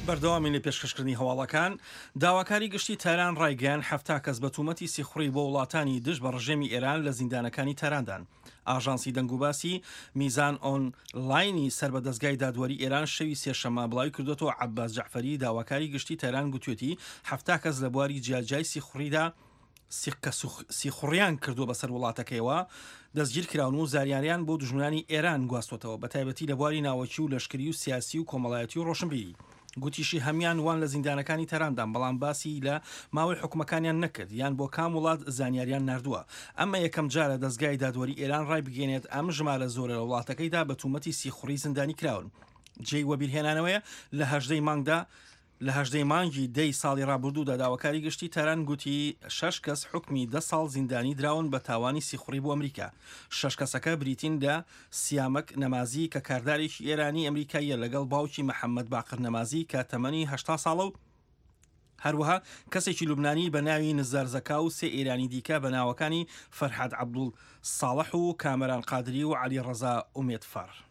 بەردەوامین لە پێشکەشکردنی هەواڵەکان. داواکاری گشتی تاران ڕایگەیاند 70 کەس بە تومەتی سیخوڕی بۆ وڵاتانی دژ بە ڕژێمی ئێران لە زیندانەکانی تاراندان. ئاژانسی دەنگوباسی میزان ئۆن لاینی سەر بە دەزگای دادوەری ئێران شەوی سێشەممە بڵاوی کردووەتەوە عەباس جەعفەری داواکاری گشتی تاران گوتوێتی 70 کەس لە بواری جیاجیای سیخوڕیدا کە سیخوڕیان کردووە بەسەر وڵاتەکەیەوە دەستگیرکراون و زاریاریان بۆ دوژمنانی ئێران گواستوەتەوە بەتایبەتی لە بواری ناوەکی و لەشکری و سیاسی و کۆمەڵایەتی و ڕۆشنبیری. گوتیشی هەموان وان لە زیندانەکانی تەراندان بەڵام باسی لە ماوەی حوکمەکانیان نەکرد یان بۆ کام وڵات زانیاریان ناردووە. ئەمە یەکەم جارە دەزگای دادوەری ئێران ڕایبگەیەنێت ئەم ژمارە زۆرە لە وڵاتەکەیدا بە تومەتی سیخوڕی زیندانی کراون. جێی وەبیرهێنانەوەیە لە 18 ی مانگدا لە 18 ی مانگی دەی ساڵی ڕابردوودا داواکاری گشتی تاران گوتی شەش کەس حوکمی دە ساڵ زیندانی دراون بە تاوانی سیخوڕی بۆ ئەمریکا. شەش کەسەکە بریتین لە سیامەک نەمازی کە کاردارێکی ئێرانی ئەمریکاییە لەگەڵ باوکی محەممەد باقر نەمازی کە تەمەنی 80 ساڵە و هەروەها کەسێکی لوبنانی بە ناوی نزار زەکا و سێ ئێرانی دیکە بە ناوەکانی فەرهاد عەبدوڵ ساڵح و کامەران قادری و عەلی ڕەزا ئومێدفەر.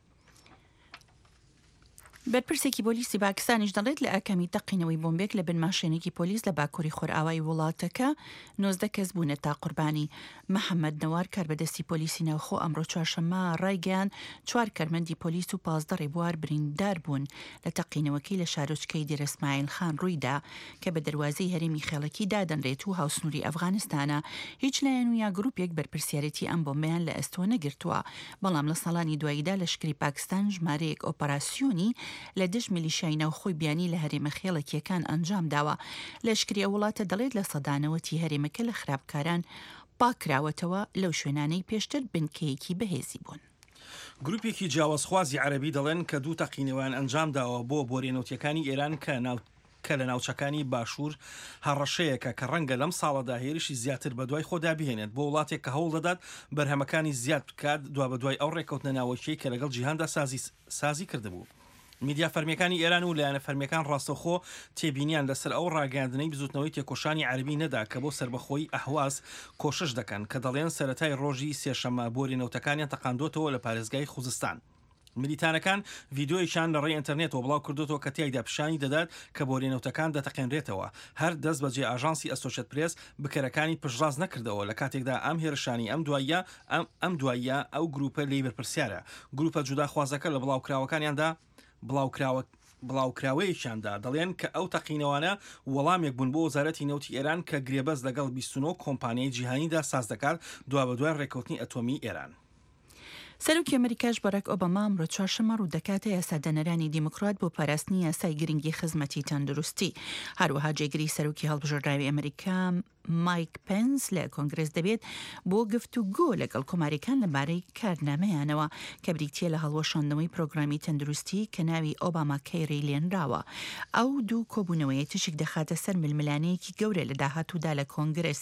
بەرپرسێکی پۆلیسی پاکستانیش دەڵێت لە ئاکامی تەقینەوەی بۆمبێک لە بن ماشێنێکی پۆلیس لە باکووری خۆرئاوای وڵاتەکە 19 کەس بوونەتە قوربانی. محەممەد نەوار کاربەدەستی پۆلیسی ناوخۆ ئەمڕۆ چوارشەممە ڕایگەیاند چوار کارمەندی پۆلیس و 15 ڕێبوار بریندار بوون لە تەقینەوەکەی لە شارۆچکەی دێرە سمایل خان ڕوویدا کە بە دەروازەی هەرێمی خێڵەکی دادەنرێت و هاوسنووری ئەفغانستانە. هیچ لایەن و یا گرووپێک بەرپرسیارێتی ئەم بۆمبەیان لە ئەستۆ نەگرتووە. بەڵام لە ساڵانی دواییدا لەشکری پاکستان ژمارەیەک ئۆپەراسیۆنی لە دژ میلیشیای ناوخۆی بیانی لە هەرێمە خێڵەکییەکان ئەنجام داوە. لەشکری ئەو وڵاتە دەڵێت 90% ی هەرێمەکە لە خراپکاران پاککراوەتەوە لەو شوێنانەی پێشتر بنکەیەکی بەهێزی بوون. گروپێکی جیاوازخوازی عەرەبی دەڵێن کە دوو تەقینەوەیان ئەنجامداوە بۆ بۆریە نەوتیەکانی ئێران کە کە لە ناوچەکانی باشوور هەڕەشەیەکە کە ڕەنگە لەم ساڵەدا هێرشی زیاتر بەدوای خۆدا بهێنێت بۆ وڵاتێک کە هەوڵدەدات بەرهەمەکانی زیاد بکات دوابەدوای ئەو ڕێککەوتنە ناوەکیەی کە لەگەڵ جیهاندا سازی سازی کردبوو. میدیا فەرمیەکانی ئێران و لایەنە فەرمیەکان ڕاستەوخۆ تێبینیان لەسەر ئەو ڕاگەیاندنەی بزوتنەوەی تێکۆشانی عەرەبی نەدا کە بۆ سەربەخۆیی ئەهواز کۆشش دەکەن کە دەڵێن سەرەتای ڕۆژی سێشەممە بۆری نەوتەکانیان تەقاندۆتەوە لە پارێزگای خوزستان. ملیتانەکان ڤیدیۆیەکیان لە ڕێی ئینتەرنێتەوە بڵاو کردۆتەوە کە تیایدا پیشانی دەدات کە بۆریە نەوتەکان دەتەقێنرێتەوە. هەر دەست بەجێ ئاژانسی ئەسۆشێت پرێس بکەرەکانی پشتڕاست نەکردەوە لە کاتێکدا ئەم هێرشانەی ئەم دواییە ئەم دواییە ئەو گروپە لێی بەرپرسیارە. گروپە جوداخوازەکە لە بڵاوکراوەکانیاندا بڵاوکراوە بڵاوکراوەیەکیاندا دەڵێن کە ئەو تەقینەوانە وەڵامێک بوون بۆ وەزارەتی نەوتی ئێران کە گرێبەست لەگەڵ 29 کۆمپانیای جیهانیدا ساز دەکات دوابەدوای ڕێککەوتنی ئەتۆمی ئێران. سەرۆکی ئەمریکاش باراک ئۆباما ئەمڕۆ چوارشەممە ڕوودەکاتە یاسادانەرانی دیموکرات بۆ پاراستنی یاسای گرنگی خزمەتی تەندروستی. هەروەها جێگری سەرۆکی هەڵبژێردراوی ئەمریکا مایک پێنس لە کۆنگرێس دەبێت بۆ گفتوگۆ لەگەڵ کۆماریەکان لەبارەی کارنامەیانەوە کە بریتییە لە هەڵوەشاندنەوەی پرۆگرامی تەندروستی کە ناوی ئۆباما کەیری لێنراوە. ئەو دوو کۆبوونەوەیە تیشک دەخاتە سەر ململانێیەکی گەورە لە داهاتوودا لە کۆنگرێس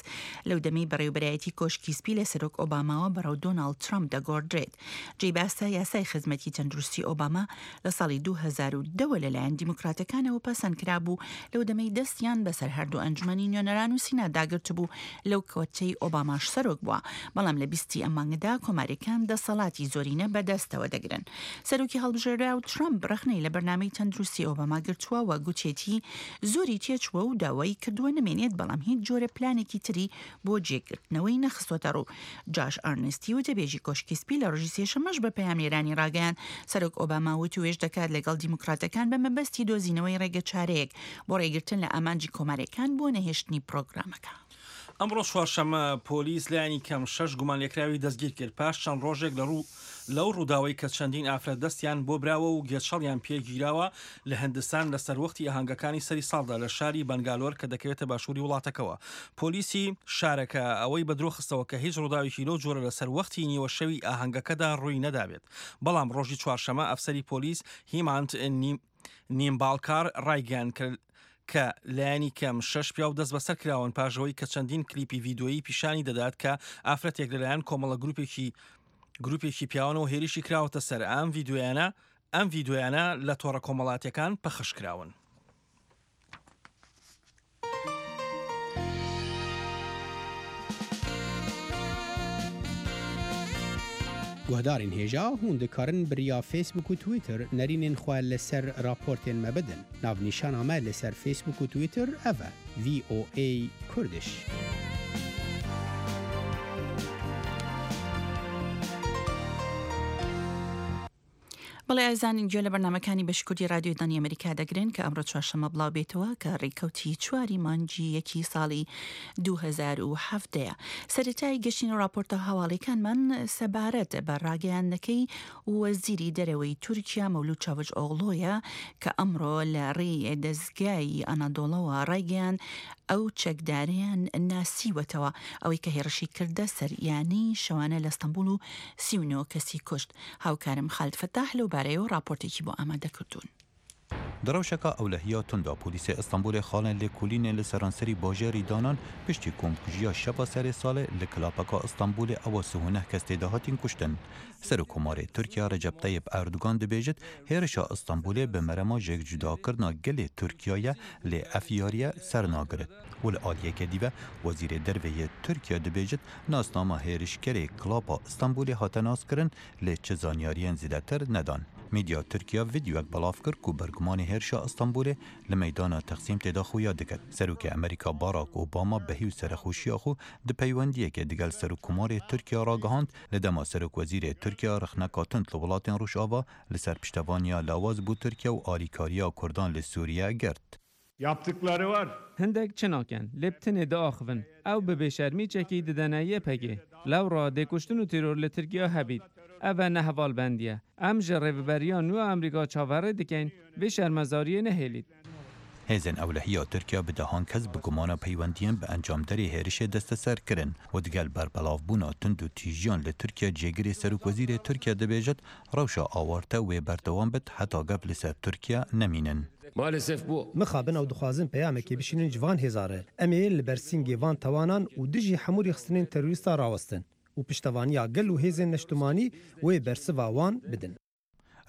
لەو دەمەی بەڕێوەبەرایەتی کۆشکی سپی لە سەرۆک ئۆباماوە بەڕەو دۆناڵد ترەمپ دەگۆڕدرێت. جێی باسە یاسای خزمەتی تەندروستی ئۆباما لە ساڵی 2010 وە لەلایەن دیموکراتەکانەوە پەسەند کرابوو لەو دەمەی دەستیان بەسەر هەردوو ئەنجومەنی نوێنەران و سینا داگرتبوو لەو کاتەی ئۆباماش سەرۆک بووە بەڵام لە بیستی ئەم مانگەدا کۆماریەکان دەسەڵاتی زۆرینە بەدەستەوە دەگرن. سەرۆکی هەڵبژێراو ترەمپ ڕەخنەی لە بەرنامەی تەندروستی ئۆباما گرتووە و گوتیەتی زۆری تێچووە و داوای کردووە نەمێنێت بەڵام هیچ جۆرە پلانێکی تری بۆ جێگرتنەوەی نەخستۆتە ڕوو. جاش ئارنستی وتەبێژی کۆشکی سپی لە ڕۆژی سێشەممەش بە پەیامنێرانی ڕاگەیاند سەرۆک ئۆباما وتووێژ دەکات لەگەڵ دیموکراتەکان بە مەبەستی دۆزینەوەی ڕێگەچارەیەک بۆ ڕێگرتن لە ئامانجی کۆماریەکان بۆ نەهێشتنی پرۆگرامەکە. ئەمڕۆ چوارشەممە پۆلیس لایەنی کەم شەش گومانلێکراوی دەستگیرکرد پاش چەند ڕۆژێک لە ڕوو لەو ڕووداوەی کە چەندین ئافرەت دەستیان بۆ براوە و گێچەڵیان پێ گیراوە لە هندستان لە سەروەختی ئاهەنگەکانی سەری ساڵدا لە شاری بەنگالۆر کە دەکەوێتە باشووری وڵاتەکەوە. پۆلیسی شارەکە ئەوەی بە درۆ خستەوە کە هیچ ڕووداوێکی لەو جۆرە لە سەروەختی نیوە شەوی ئاهەنگەکەدا ڕووی نەدابێت. بەڵام ڕۆژی چوارشەمە ئەفسەری پۆلیس هیمانت نیمباڵکار ڕایگەیاند کە کە لایەنی کەم شەش پیاو دەستبەسەر کراون پاش ئەوەی کە چەندین کلیپی ڤیدۆیی پیشانی دەدات کە ئافرەتێک لەلایەن کۆمەڵە گروپێکی گروپێکی پیاوانەوە هێریشی کراوەتە سەر ئەم ڤیدیۆیانە ئەم ڤیدیۆیانە لە تۆڕە کۆمەڵاتیەکان پەخش کراون. Guhdarên hêja hûn dikarin bi riya Facebook û Twitter nerînên xwe li ser raportên me bidin. Navnîşana me li ser Facebook û Twitter ev e, VOA Kurdish. بەڵێ ئازیزان گوێ لە بەرنامەکانی بەشی کوردی رادیۆی دەنگی ئەمریکا دەگرن کە ئەمڕۆ چوارشەممە بڵاو بێتەوە کە ڕێکەوتی چواری مانگی یەکی ساڵی 2017 سەرەتای گەشتین راپۆرتە هەواڵیەکانمان سەبارەت بە ڕاگەیاندنەکەی وەزیری دەرەوەی تورکیا مەولود چاوش ئۆغڵۆیە کە ئەمڕۆ لە ڕێی دەزگای ئەنادۆڵەوە ڕایگەیاند ئەو چەکدارەیان ناسیوەتەوە ئەوەی کە هێڕشی کردە سەر یانەی شەوانە لە ئەستەنبوڵ و 39 کەسی کوشت. هاوکارم خالد فەتاح لەو بارەیەوە ڕاپۆرتێکی بۆ ئامادە کردوون. Di rewşeke ewlehiya tund de polîsê Îstanbulê xalên lêkolînê li seranserî bajarî danan piştî komkujiya şeva serê salê li klapeka Îstanbulê ewa 39 kes tê de hatîn kuştin. Serokkomarê Tirkiye Recep Tayyip Erdogan dibêjit hêrişa Îstanbulê bi merema jêkcudakirina gelê Tirkiye ye lê ev yariye sernagirit û li aliyeke dî ve Wezîrê Derve yê Tirkiye dibêjit nasnama hêrişkerê klapa Îstanbulê hate naskirin lê çi zanyariyên zêdetir nedan. Medya Tirkiye vîdeoyek belav kir ku bergumanê hêrişa Îstanbulê li meydana Teqsîm tê de xuya diket. Serokê Amerîka Barack Obama behî û serexweşiya xwe di peywendiyekê digel Serokkomarê Tirkiye ragihand, li dema Serokwezîrê Tirkiye rexneka tund li welatên Rojava li ser piştevaniya lawaz bo Tirkiye û alîkariya Kurdan li Sûriye girt. Yaptıkları var. Hindek çi nakin, lê bi tenê diaxivin. Ew bi bêşermî çekî didene YPGê. Lewra dê kuştin û teror li Tirkiya hebît. Ev e ne hevalbendî ye. Em ji rêveberiya nû ya Amerîka çaverê dikein vê şermezariyê nehêlît. Hêzên ewlehiya Tirkiya bi dehan kes bi gumana peywendiyên bi encamderê hêrişê desteser kirin û digel berbelavbûna tund û tîjiyan li Tirkiye cêgirê Serokwezîrê Tirkiye dibêjit rewşa awarte wê berdewam bit heta gef li ser Tirkiye nemînin. Maalesef bu. Mixabin ew dixwazin peyamekê bişînin ji van hêza re. Em ê li ber sîngê van tawanan û dijî hemû rêxistinên terorîsta rawestin û piştevaniya gel û hêzên neştimanî wê bersiva wan bidin.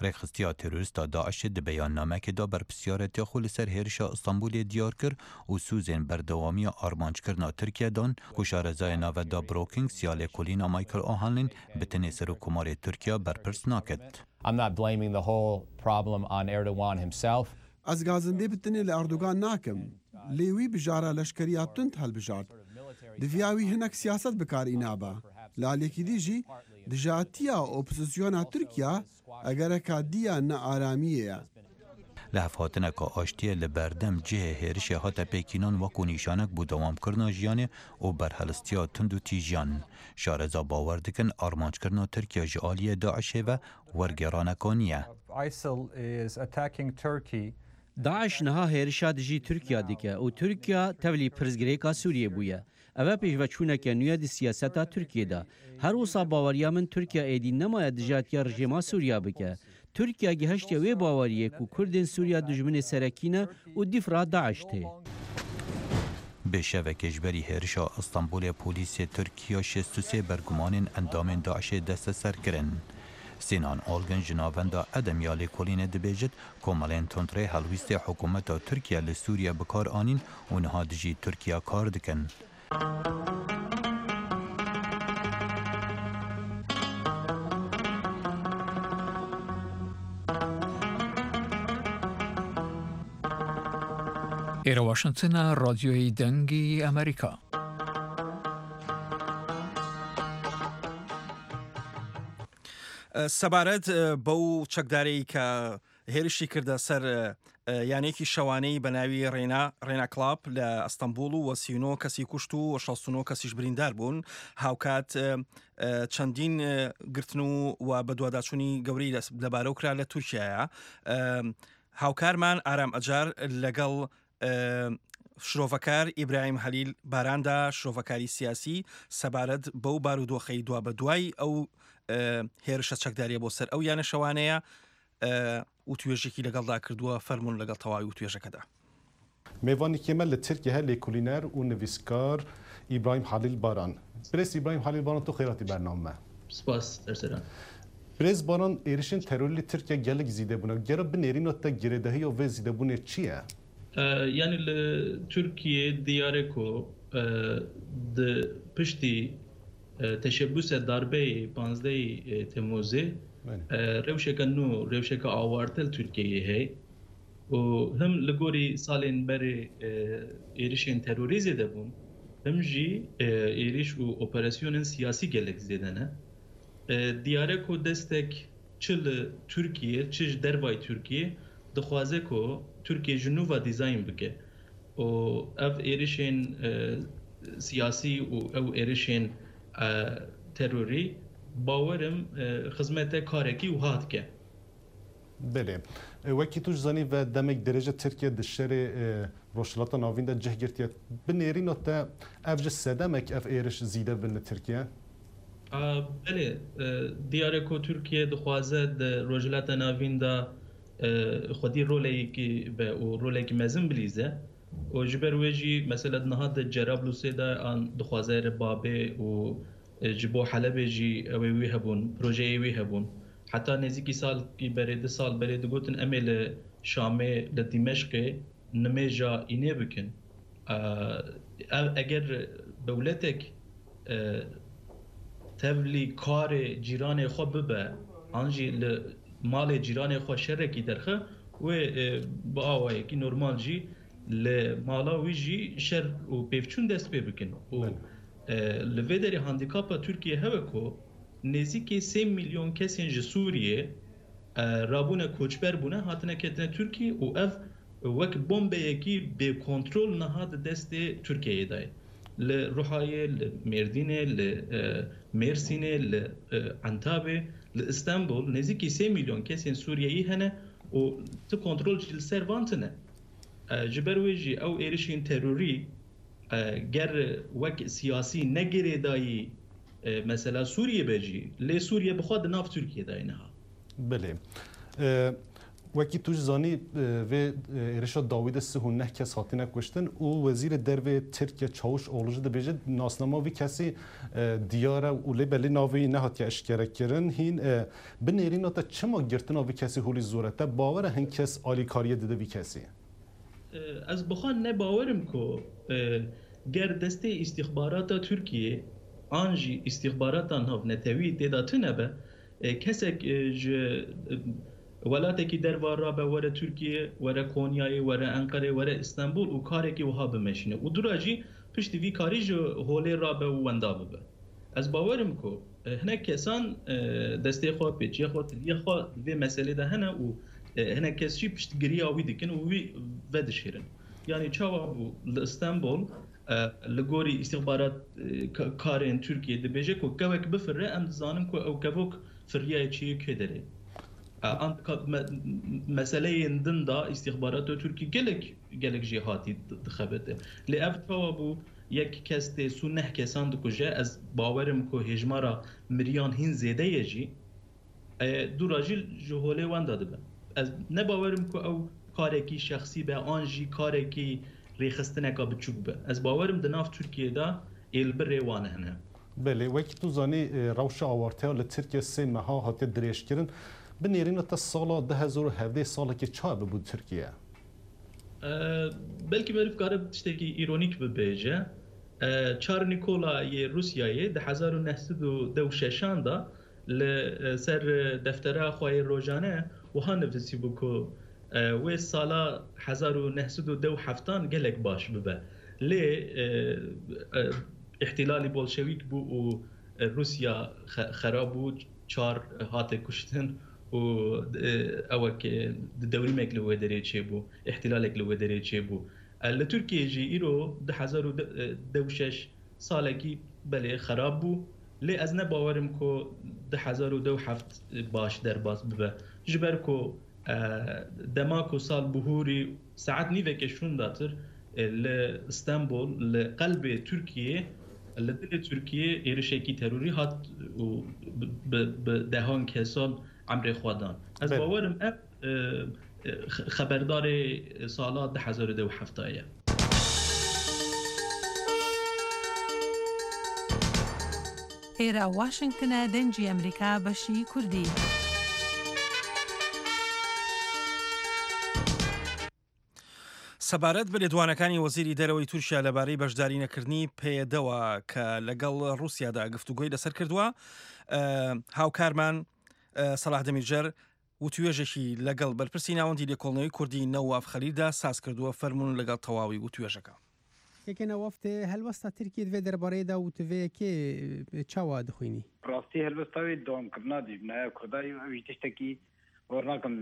Rêxistiya terorîsta DAIŞê di beyannamekê de berpirsyaretiya xwe li ser hêrişa Îstanbulê diyar kir û sûzên berdewamiya armanckirina Tirkiye dan ku şarezayê navenda Brookings ya lêkolîna Michael O'Hanlon bi tenê Serokkomarê Tirkiye berpirs naket. I'm not blaming the whole problem on Erdogan himself. Ez gazindê bi tenê li Erdogan nakim. Lê wî bijara leşkeriya tund hilbijart. Diviya wî hinek siyaset bikar înabe. Li aliyekî dî jî dijatiya opozisyona Tirkiye egereka dî ya nearamiyê ye. Li hevhatineka aştiyê li berdem cihê hêrişê hate pêkînan wekû nîşanek bo dewamkirina jiyanê û berhelistiya tund û tîjiyan. Şareza bawer dikin armanckirina Tirkiye ji aliyê DAIŞê ve wergêraneka niye. ISIL is attacking Turkey. DAIŞ niha hêrişa dijî Tirkiye dike û Tirkiye tevlî pirsgirêka Sûriyê bûye. Ev e pêşveçûneke nû ye di siyaseta Tirkiyê de. Her wisa baweriya min Tirkiye êdî nemaye dijatiya rejîma Sûriya bike. Tirkiye gihiştiye wê baweriyê ku Kurdên Sûriya dijminê serekî ne û dîfra DAIŞ tê. Bi şevekê ji berî hêrişa Îstanbulê polîsê Tirkiye 63 bergumanên endamên DAIŞê desteser kirin. Sinan Olgun ji navenda Edem ya lêkolînê dibêjit komelên tundrê helwîstê hikûmeta Tirkiye li Sûriye bikar anîn û niha dijî Tirkiye kar dikin. ئێرە واشنتنە ڕادیۆی دەنگی ئەمریکا. سەبارەت بەو چەکدارەی کە هێرشی کردە سەر یانەیەکی شەوانەی بە ناوی ڕێنا ڕێنا کڵاپ لە ئەستەمبوڵ و 39 کەسی کوشت و 69 کەسیش بریندار بوون هاوکات چەندین گرتن و و بەدواداچوونی گەورەی لەبارەو کرا لە تورکیایە هاوکارمان ئارام ئەجار لەگەڵ شرۆڤەکار ئیبراهیم هەلیل باراندا شرۆڤەکاری سیاسی سەبارەت بەو بارودۆخەی دوا بە دوای ئەو هێرشە چەکداریە بۆ سەر ئەو یانە شەوانەیە وتوێژێکی لەگەڵدا کردووە فەرمونون لەگەڵ تەواوی وتوێژەکەدا. Mêvanekê me li Tirkiye her lêkolîner û nivîskar İbrahim Halil Baran. Birêz İbrahim Halil Baran tu xêr hatî bername. Spas Erselan. Birêz Baran êrişên terorî li Tirkiye gelek zîde bûne. Gera binêrîna te girêdahiya vê zîdebûnê çi ye? Yani li Türkiye diyarê ku di piştî teşebuse darbeyê 15 Temmuzê rewşeke nû, rewşeke awarte li Tirkiyeyê heye û him li gorî salên berê êrişên terorî zêde bûn, him jî êriş û operasyonên siyasî gelek zêde ne. Diyar e ku destek çi li Tirkiyê çi ji dervayî Tirkiyê dixwaze ku Tirkiye ji nû ve dîzayn bike û ev êrişên siyasî û ew êrişên terorî bawer im xizmete karekî wiha dike. Belê. Wekî tu ji zanî ve demek dirêj e Tirkiye di şerê Rojhilata Navîn de cih girtiye. Bi nêrîna te ev ji sedemek ev êriş zîde bin li Tirkiye? Belê. Diyar e ku Tirkiye dixwaze di Rojhilata Navîn de xwedî rolekî be û rolekî mezin bilîze û ji ber wê jî mesela niha di Cerablusê de an dixwaze li Babê û Ji bo Helebê jî ew ê wî hebûn, projeyê wî hebûn. Heta nêzîkî salkî berê, du sal berê digotin em ê li Şamê, li Dîmeşqê nimêja înê bikin. Ev eger dewletek tevlî karê cîranê xwe bibe an jî li malê cîranê xwe şerekî derxe, wê bi awayekî normal jî li mala wî jî şer û pêvçûn dest pê bikin û Li vê derê handîkapa Tirkiyê hewe ku nêzîkê sê mîlyon kesên ji Sûriyê rabûne koçber bûne hatine ketine Tirkiyê û ev wek bombeyekî bêkontrol niha di destê Tirkiyeyê de ye. Li Ruhayê, li Mêrdînê, li Mêrsînê, li Entabê, li Istenbol nêzîkî sê mîlyon kesên Sûriyeyî hene û ti kontrol jî li ser van tune. Ji ber wê jî ew êrişên terorî Ger wek siyasî ne girêdayî mesela Sûriyê be jî lê Sûriye bi xwe di nav Tirkiyê de ye niha. Belê. Wekî tu jî zanî vê êrişa dawî de 39 kes hatine kuştin û Wezîrê Dervê Tirkiye Çavuşoglu jî dibêje nasnama vî kesî diyar e û lê belê navê wî nehatiye eşkerekirin. Hîn bi nêrîna te çima girtina vî kesî holî zor e? Te bawer e hin kes alîkariyê dide vî kesî? Ez bi xwe ne bawer im ku ger destê îstîxbarata Tirkiyê an jî îstîxbarata navnetewî tê de tune be, kesek ji welatekî derva rabe were Tirkiyê, were Konyayê, were Enqerê, were Îstenbûl û karekî wiha bimeşîne û dûra jî piştî vî karî ji holê rabe û wenda bibe. Ez bawer im ku Hinek kesan destê xwe, pêçiya xwe, tiliya xwe di vê meselê de hene û hinek kes jî piştgiriya wî dikin û wî vedişêrin. Yanî çawa bû li Stenbol li gorî îstîxbarat karên Tirkiyê dibêje ku kewek bifire em dizanin ku ew kevok firiyayê çi yê kê derê. An meseleyên din de îstîxbarata Tirkî gelek gelek jêhatî dixebite. Lê ev çawa bû Yek kes tê sû neh kesan dikuje, ez bawer im ku hêjmara miriyan hîn zêde ye jî, dûra jî ji holê wenda dibe. Ez ne bawer im ku ew karekî şexsî be an jî karekî rêxistineka biçûk be. Ez bawer im di nav Tirkiyê de êlbirê wan hene. Belê, wekî tu zanî rewşa awarteya li Tirkiyê sê meha hatiye dirêjkirin. Bi nêrîna te sala 2017 salekê çawa bibû Tirkiye? Belkî meriv kare tiştekî îronîk bibêje. Çar Nîkola yê Rûsyayê di 1916 an de li ser deftera xwe yê rojane wiha nivisîbû ku wê sala 1917 an gelek baş bibe. Lê îhtîlalî Bolşewîk bû û Rûsya xerab bû, Çar hate kuştin û ewek di dewrîmek li wê derê çêbû, îhtîlalek li wê derê çêbû. Li Tirkiyeyê jî îro 2026 salekî belê xerab bû lê ez ne bawer im ku 2027 baş derbas bibe. Ji ber ku dema ku sal bihûrî saet nîveke şûndatir li Stenbol li qelbê Tirkiyeyê Li dilê Tirkiyê êrişekî terorî hat û bi dehan kesan emrê xwe dan. Ez bawer im ev xeberdarê sala 2027 ye. Êra Washington e Dengê Amerîka beşî Kurdî. سەبارەت بە لێدوانەکانی وەزیری دەرەوەی تورکیا لەبارەی بەشداری نەکردنی پەیەدەوە کە لەگەڵ ڕووسیادا گفتوگۆی لەسەر کردووە، هاوکارمان سەلاح دەمیرجەر وتوێژێکی لەگەڵ بەرپرسی ناوەندی لێکۆڵنەوەی کوردی نەواف خەلیلدا ساز کردووە، فەرموون لەگەڵ تەواوی وتوێژەکە. کەکە نەواف تێ هەلوەستا ترکیە دڤێ دەربارەیدا و تڤێ کێ چاوا دخوینی؟ راستی هەلوەستا وێ دەوامکردنا دژمنایە کوردای و ئەویش تشتەکی باوەڕ ناکەم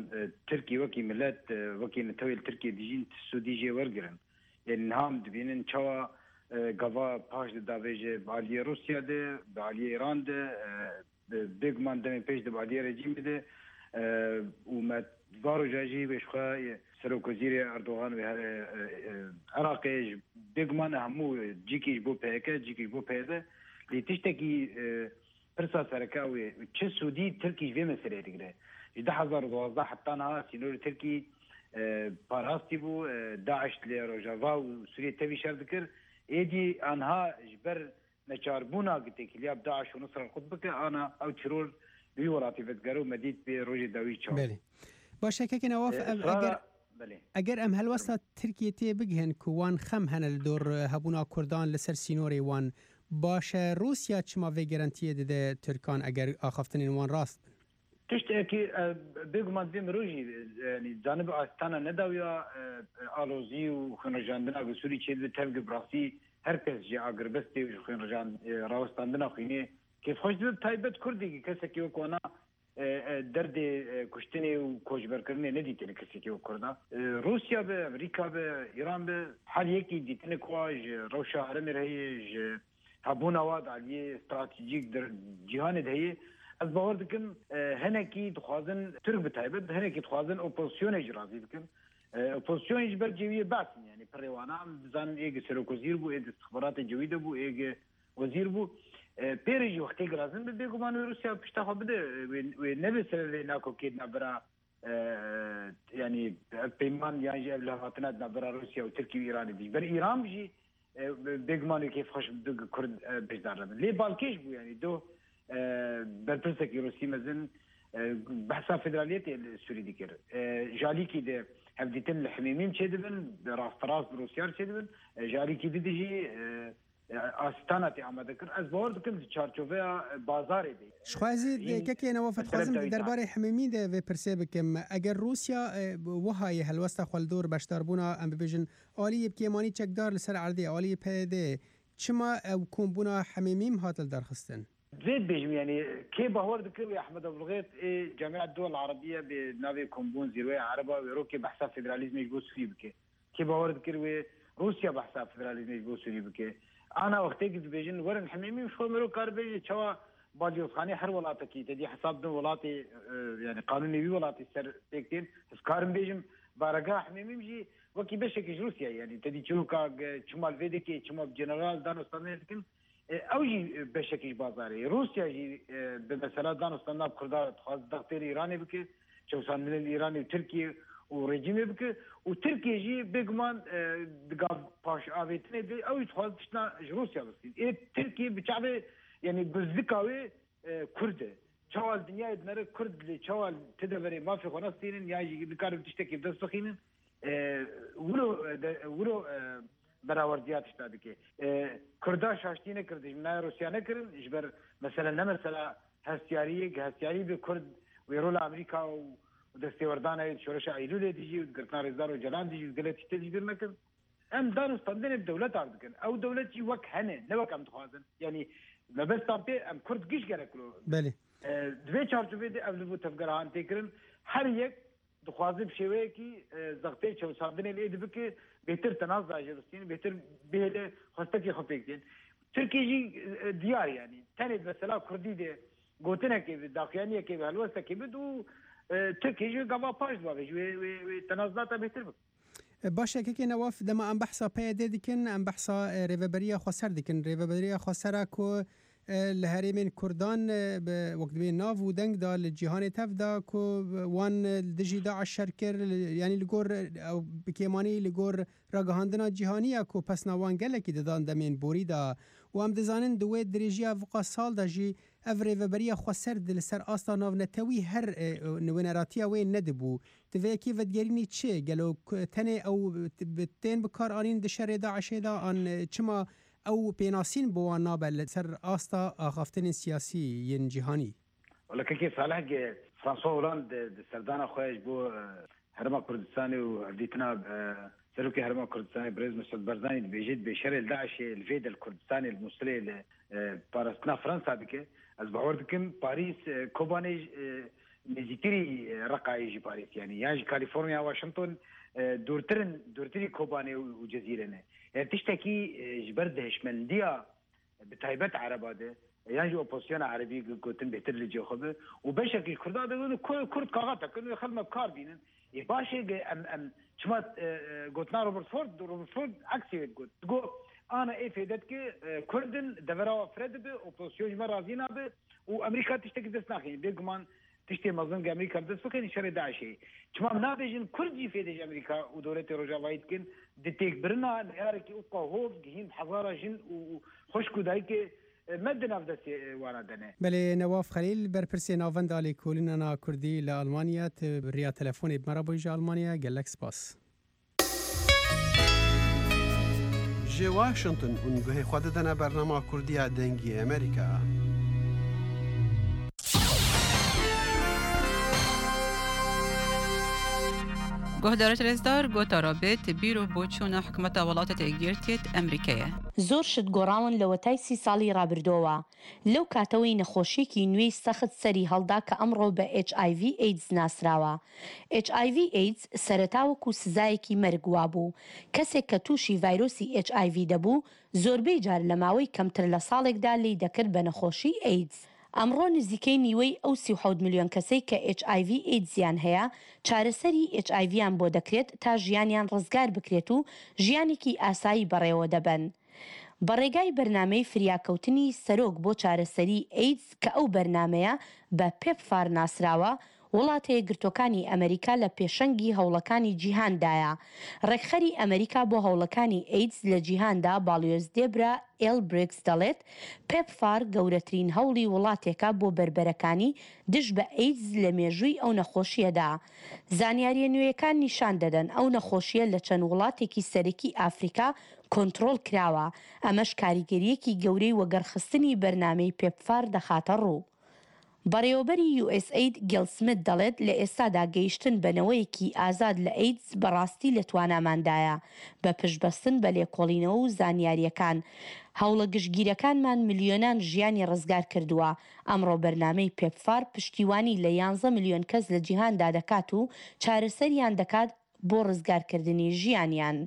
ترکی وەکی ملت وەکی نەتەوەی li Tirkiyê dijîn ti sûdî jê wergirin. Yanî niha em dibînin çawa gava paş de davêje bi aliyê Rûsya de, bi aliyê Îran de, bêguman demê pêş de bi aliyê rejîmê de û me va roja jî wê ji xwe Serokwezîrê Erdogan wê here Iraqê ji bêguman hemû cîkî ji bo PYK cîkî ji bo PYD lê tiştekî Pirsa sereke ew e, çi sûdî Tirkî ji vê meseleyê digire? Ji 2012 heta niha sînorê Tirkî parastî bû, DAIŞ li Rojava û Sûriyê tevî şer dikir. Êdî aniha ji ber neçarbûna ku têkiliya bi DAIŞ û Nusra qut bike, ana ew teror li wî welatî vedigere û me dît bê rojê dawî çawa bû. Belê. Baş e kekê Newaf, ev eger Eger em helwesta Tirkiyê tê bigihin ku wan xem hene li dor hebûna Kurdan li ser sînorê wan, baş e Rûsya çima vê gerantiyê dide Tirkan eger axaftinên wan rast bin? Tiştekî bêguman divê mirov jî yanî zanibe Astana ne dawiya alozî û xwînrijandina ku Sûrî çêdibe tevge bi rastî her kes ji agirbestê û ji xwînrijand rawestandina xwînê kêfxweş dibe bi taybet Kurdî ki kesekî wek wana Derdê kuştinê û koçberkirinê nedîtine kesekî wek Kurda. Rûsya be, Amerîka be, Îran be her yekî dîtine ku wa ji rewşa herêmê re heye, ji hebûna wa di aliyê stratejîk di cîhanê de heye. Ez bawer dikim hinekî dixwazin Tirk bi taybet hinekî dixwazin opozisyonê jî razî bikin. Opozîsyon ji ber cêwiyê Be's in yanî pirrê wan a. Em dizanin êgî serokwezîr bû, ê di îstixbaratê cêwî de bû, êgî Wezîr bû. Pêrê jî wextê girazin bi bêguman wê Rûsya pişta xwe bide wê nebe sebebê nakokê di navbera yanî ev peyman yan jî ev lihevhatina di navbera Rûsya û Tirkî û Îranê de. Ji ber Îran jî bêguman wê kêfxweş bi Kurd beşdar nebin. Lê balkêş bû yanî doh berpirsekî Rûsî mezin behsa federaliyetê li Sûrî dikir. Ji alîkî de hevdîtin li Himêmîm çêdibin, rasterast bi Rûsyar çêdibin. Ji alîkî di jî Astana tê amadekirin. Ez bawer dikim di çarçoveya bazarê de ye. Ji xwe ez ê kekê Newaf dixwazim di derbarê Himêmî de vê pirsê bikim. Eger Rûsya wiha yê helwesta xwe li dor beşdarbûna em bibêjin aliyê bi kêmanî çekdar li ser erdê, aliyê PYD'ê, çima ew kombûna Himêmîm hat lidarxistin? Vê dibêjim yanî kê bawer dikir wê Ehmed Ebulxêt ê Camiat Duwel Erebiye bi navê Kombûn Zîrweya Ereba wê rokê behsa federalîzmê ji bo Sûrî bike. Kê bawer dikir wê Rûsya behsa federalîzmê ji bo Sûrî bike? Ana wextê ku dibêjin werin Himêmî ji xwe mirov kar bêje çawa balyozxanê her welatekî tedî hesab didin welatê yanî qanûnê wî welatî ser pêk tên. Ez karim bêjim baregeha Himêmîm jî wekî beşekî ji Rûsyayê yanî tedî çiroka çima li vê dikê çima bi general danûstandinê dikin Ew jî beşekî ji bazarê ye. Rûsya jî bi mesela danûstandina bi Kurdan re dixwaze dextê li Îranê bike, çewsandinê li Îranê û Tirkiyê û rejîmê bike û Tirkiye jî bêguman di gav paşavêtinê de ew jî dixwaze tiştna ji Rûsya bistîne. Ê Tirkiye bi çavê yanî guzdika wê Kurd e. Çawa li dinyayê dinere Kurd lê çawa li ti deverê mafê xwe nestînin yan jî nikarin tiştekê bi dest bixînin wilo wilo berawerdiya tişta dike. Kurda şaştî nekir dijminaya Rûsya nekirin ji ber mesele ne mesela hestiyariyê hestiyarî bi Kurd wê rola Amerîka û destêwerdana wê di şoreşa Eylûlê dijî û di girtina Rêzdar Ocalan dijî û gelek tiştê dijî bir nekin. Em dan û standinê bi dewletan dikin. Ew dewlet jî wek hene ne wek em dixwazin. Yanî mebesta pê em Kurd giş gerek wilo. Belê. Di vê çarçoveyê de ev li bo tevgerahan tê kirin. Her yek Dixwaze bi şêweyekî zextê çewsandinê lê dibike, bêhtir tenaz da ji bistîne, bêhtir bihêle xwestekê xwe pêk tên. Tirkiye jî diyar yanî tenê di mesela Kurdî de gotinekê bi daxuyaniyekê bi helwestekê bid û Tirkiye jî gava paş dibavê ji wê wê wê tenazdata bêhtir bike. Baş e kekê Newaf dema em behsa PYD dikin em behsa Rêveberiya Xweser dikin. Rêveberiya Xweser a ku Li herêmên Kurdan bi wek dibê nav û deng da li cîhanê tev da ku wan li dijî DAIŞ şer kir yanî li gor ew bi kêmanî li gor ragihandina cîhanî ya ku pesna wan gelekî didan demên borî da û em dizanin di wê dirêjiya viqa sal de jî. Ev rêveberiya xweser di li ser asta navnetewî her nûneratiya wê nedibû. Tu vê yekê vedigerînî çi? Gelo tenê ew tên bikaranîn di şerê DAIŞ'ê de an çima ew pênasîn bi wan nabe li ser asta axaftinên siyasî yên cîhanî? Wala kekê Saleh ge François Hollande di serdana xwe ji bo Herêma Kurdistanê û hevdîtina Serokê Herêma Kurdistanê Birêz Mesûd Barzanî dibêje dibê şerê li DAIŞ'ê li vê de li Kurdistanê li Mûsilê li parastina Fransa dike. Ez bawer dikim Parîs Kobanê nêzîktirî Reqayê jî Parîs yanî yan jî Kalîforniya Washington dûrtir in dûrtirî Kobanê û Cezîrê ne. Yani tiştekî ji ber di hişmendiya bi taybet ereba de yan jî opozisyona erebî gotin bêhtir li cihê xwe be û beşekî ji kurdan de gotin kurd kaxetek in wê xelk me bi kar bînin. Ê baş e em em çima gotina Robert Ford Robert Ford eksê wê digot. Digot ana ê fêde dike kurd in devera we fire dibe opozisyon ji me razî nabe û Amerîka tiştekî dest naxîne. Bêguman tiştê mezin ke Amerîka bi dest bixîne şerê DAIŞ'ê ye. Çima em nabêjin kurd jî fêde ji Amerîka û dewletê rojavayî dikin di têkbirina neyarekî û hov gihîn bi hezara jin û xwişk û dayikê Me di nav destê wana de ne. Belê Newaf Xelîl, berpirsê Navenda Lêkolînan a Kurdî li Almanya, tu bi riya telefonê bi me re bûyî ji Almanya, gelek spas. Ji Washington hûn guhê xwe didine bernama Kurdî ya Dengê Amerîka. Guhdarê rêzdar gotara bê ti bîr û boçûna hikûmeta welatê Yekgirtiyê Emrîkê ye. زۆر شت گۆڕاون لەوەتای سی ساڵی ڕابردۆوە، لەو کاتەوەی نەخۆشیەکی نوێی سەخت سەری هەڵدا کە ئەمڕۆ بە ئێچ ئای ڤی ئەیدز ناسراوە. ئێچ ئای ڤی ئەیدز سەرەتا وەکو سزایەکی مەرگ وابوو، کەسێک کە تووشی ڤایرۆسی ئێچ ئای ڤی دەبوو زۆربەی جار لە ماوەی کەمتر لە ساڵێکدا لێی دەکرد بە نەخۆشی ئەیدز. ئەمڕۆ نزیکەی نیوەی ئەو 37 ملیۆن کەسەی کە ئێچ ئای ڤی ئەیدزیان هەیە، چارەسەری ئێچ ئای ڤیان بۆ دەکرێت تا ژیانیان ڕزگار بکرێت و ژیانێکی ئاسایی بەڕێوە دەبەن. بە ڕێگای بەرنامەی فریاکەوتنی سەرۆک بۆ چارەسەری ئەیدز کە ئەو بەرنامەیە بە پێپفار ناسراوە، وڵاتەیەکگرتووەکانی ئەمەریکا لە پێشەنگی هەوڵەکانی جیهاندایە. ڕێکخەری ئەمەریکا بۆ هەوڵەکانی ئەیدز لە جیهاندا باڵیۆز دێبرا ئێل بریگز دەڵێت، پێپفار گەورەترین هەوڵی وڵاتێکە بۆ بەربەرەکانی دژ بە ئەیدز لە مێژووی ئەو نەخۆشییەدا. زانیارییە نوێیەکان نیشان دەدەن ئەو نەخۆشییە لە چەند وڵاتێکی سەرەکی ئافریکا کۆنتڕۆڵ کراوە، ئەمەش کاریگەرییەکی گەورەی وەگەڕخستنی بەرنامەی پێپفار دەخاتە ڕوو. بەڕێوەبەری یو ئێس ئەید گێل سمت دەڵێت لە ئێستادا گەیشتن بە نەوەیەکی ئازاد لە ئەیدز بەڕاستی لە تواناماندایە بە پشتبەستن بە لێکۆڵینەوە و زانیارییەکان. هەوڵە گشتگیرەکانمان ملیۆنان ژیانی ڕزگار کردووە. ئەمڕۆ بەرنامەی پێپفار پشتیوانی لە یانزە ملیۆن کەس لە جیهاندا دەکات و چارەسەریان دەکات بۆ ڕزگارکردنی ژیانیان.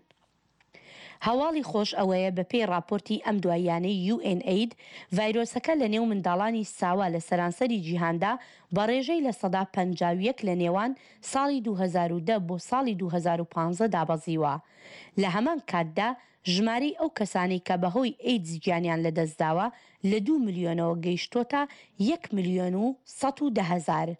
هەواڵی خۆش ئەوەیە بەپێی ڕاپۆرتی ئەم دواییانەی یو ئێن ئەید، ڤایرۆسەکە لەنێو منداڵانی ساوا لە سەرانسەری جیهاندا بە ڕێژەی 51% لە نێوان ساڵی 2010 بۆ ساڵی 2015 دابەزیوە. لە هەمان کاتدا ژمارەی ئەو کەسانەی کە بەهۆی ئەیدز گیانیان لەدەستداوە لە دوو ملیۆنەوە گەیشتۆتە یەک ملیۆن و 110 هەزار.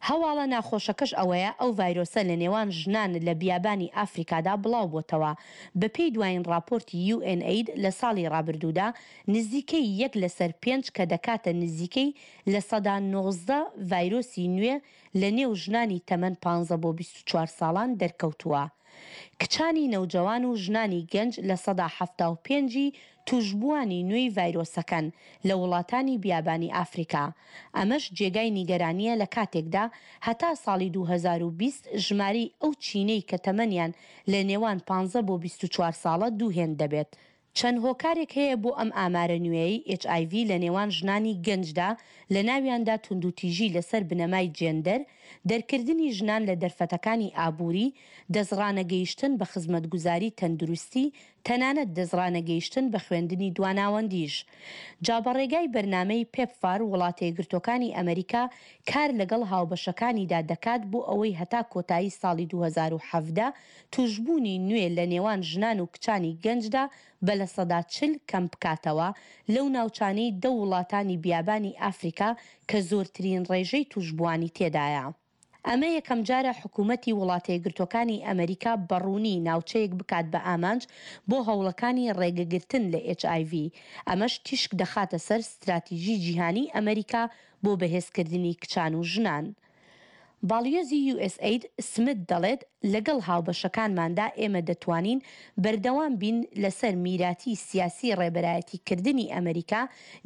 هەواڵە ناخۆشەکەش ئەوەیە ئەو ڤایرۆسە لە نێوان ژنان لە بیابانی ئافریکادا بڵاوبۆتەوە. بەپێی دوایین ڕاپۆرتی یو ئێن ئەید لە ساڵی ڕابردوودا نزیکەی یەک لەسەر پێنج کە دەکاتە نزیکەی 19% ڤایرۆسی نوێ لە نێو ژنانی تەمەن 15 بۆ 24 ساڵان دەرکەوتووە. کچانی نەوجەوان و ژنانی گەنج 75% ی تووشبووانی نوێی ڤایرۆسەکەن لە وڵاتانی بیابانی ئافریکا، ئەمەش جێگای نیگەرانییە لە کاتێکدا هەتا ساڵی 2020 ژمارەی ئەو چینەی کە تەمەنیان لە نێوان 15 بۆ 24 ساڵە دوو هێند دەبێت. چەند هۆکارێک هەیە بۆ ئەم ئامارە نوێیەی ئێچ ئای ڤی لە نێوان ژنانی گەنجدا، لە ناویاندا توندوتیژی لەسەر بنەمای جێندەر، دەرکردنی ژنان لە دەرفەتەکانی ئابووری، دەستڕانەگەیشتن بە خزمەتگوزاری تەندروستی، تەنانەت دەستڕانەگەیشتن بە خوێندنی دواناوەندیش. جا بە ڕێگای بەرنامەی پێپفار وڵاتەیەکگرتووەکانی ئەمەریکا کار لەگەڵ هاوبەشەکانیدا دەکات بۆ ئەوەی هەتا کۆتایی ساڵی 2017 تووشبوونی نوێ لە نێوان ژنان و کچانی گەنجدا بە 40% کەم بکاتەوە لەو ناوچانەی دە وڵاتانی بیابانی ئافریکا کە زۆرترین ڕێژەی تووشبووانی تێدایە. ئەمە یەکەمجارە حکومەتی وڵاتەیەکگرتووەکانی ئەمریکا بە ڕوونی ناوچەیەک بکات بە ئامانج بۆ هەوڵەکانی ڕێگەگرتن لە ئێچ ئای ڤی، ئەمەش تیشک دەخاتە سەر ستراتیژی جیهانیی ئەمریکا بۆ بەهێزکردنی کچان و ژنان. باڵیۆزی یو ئێس ئەید سمت دەڵێت، لەگەڵ هاوبەشەکانماندا ئێمە دەتوانین بەردەوام بین لەسەر میراتی سیاسی ڕێبەرایەتیکردنی ئەمریکا،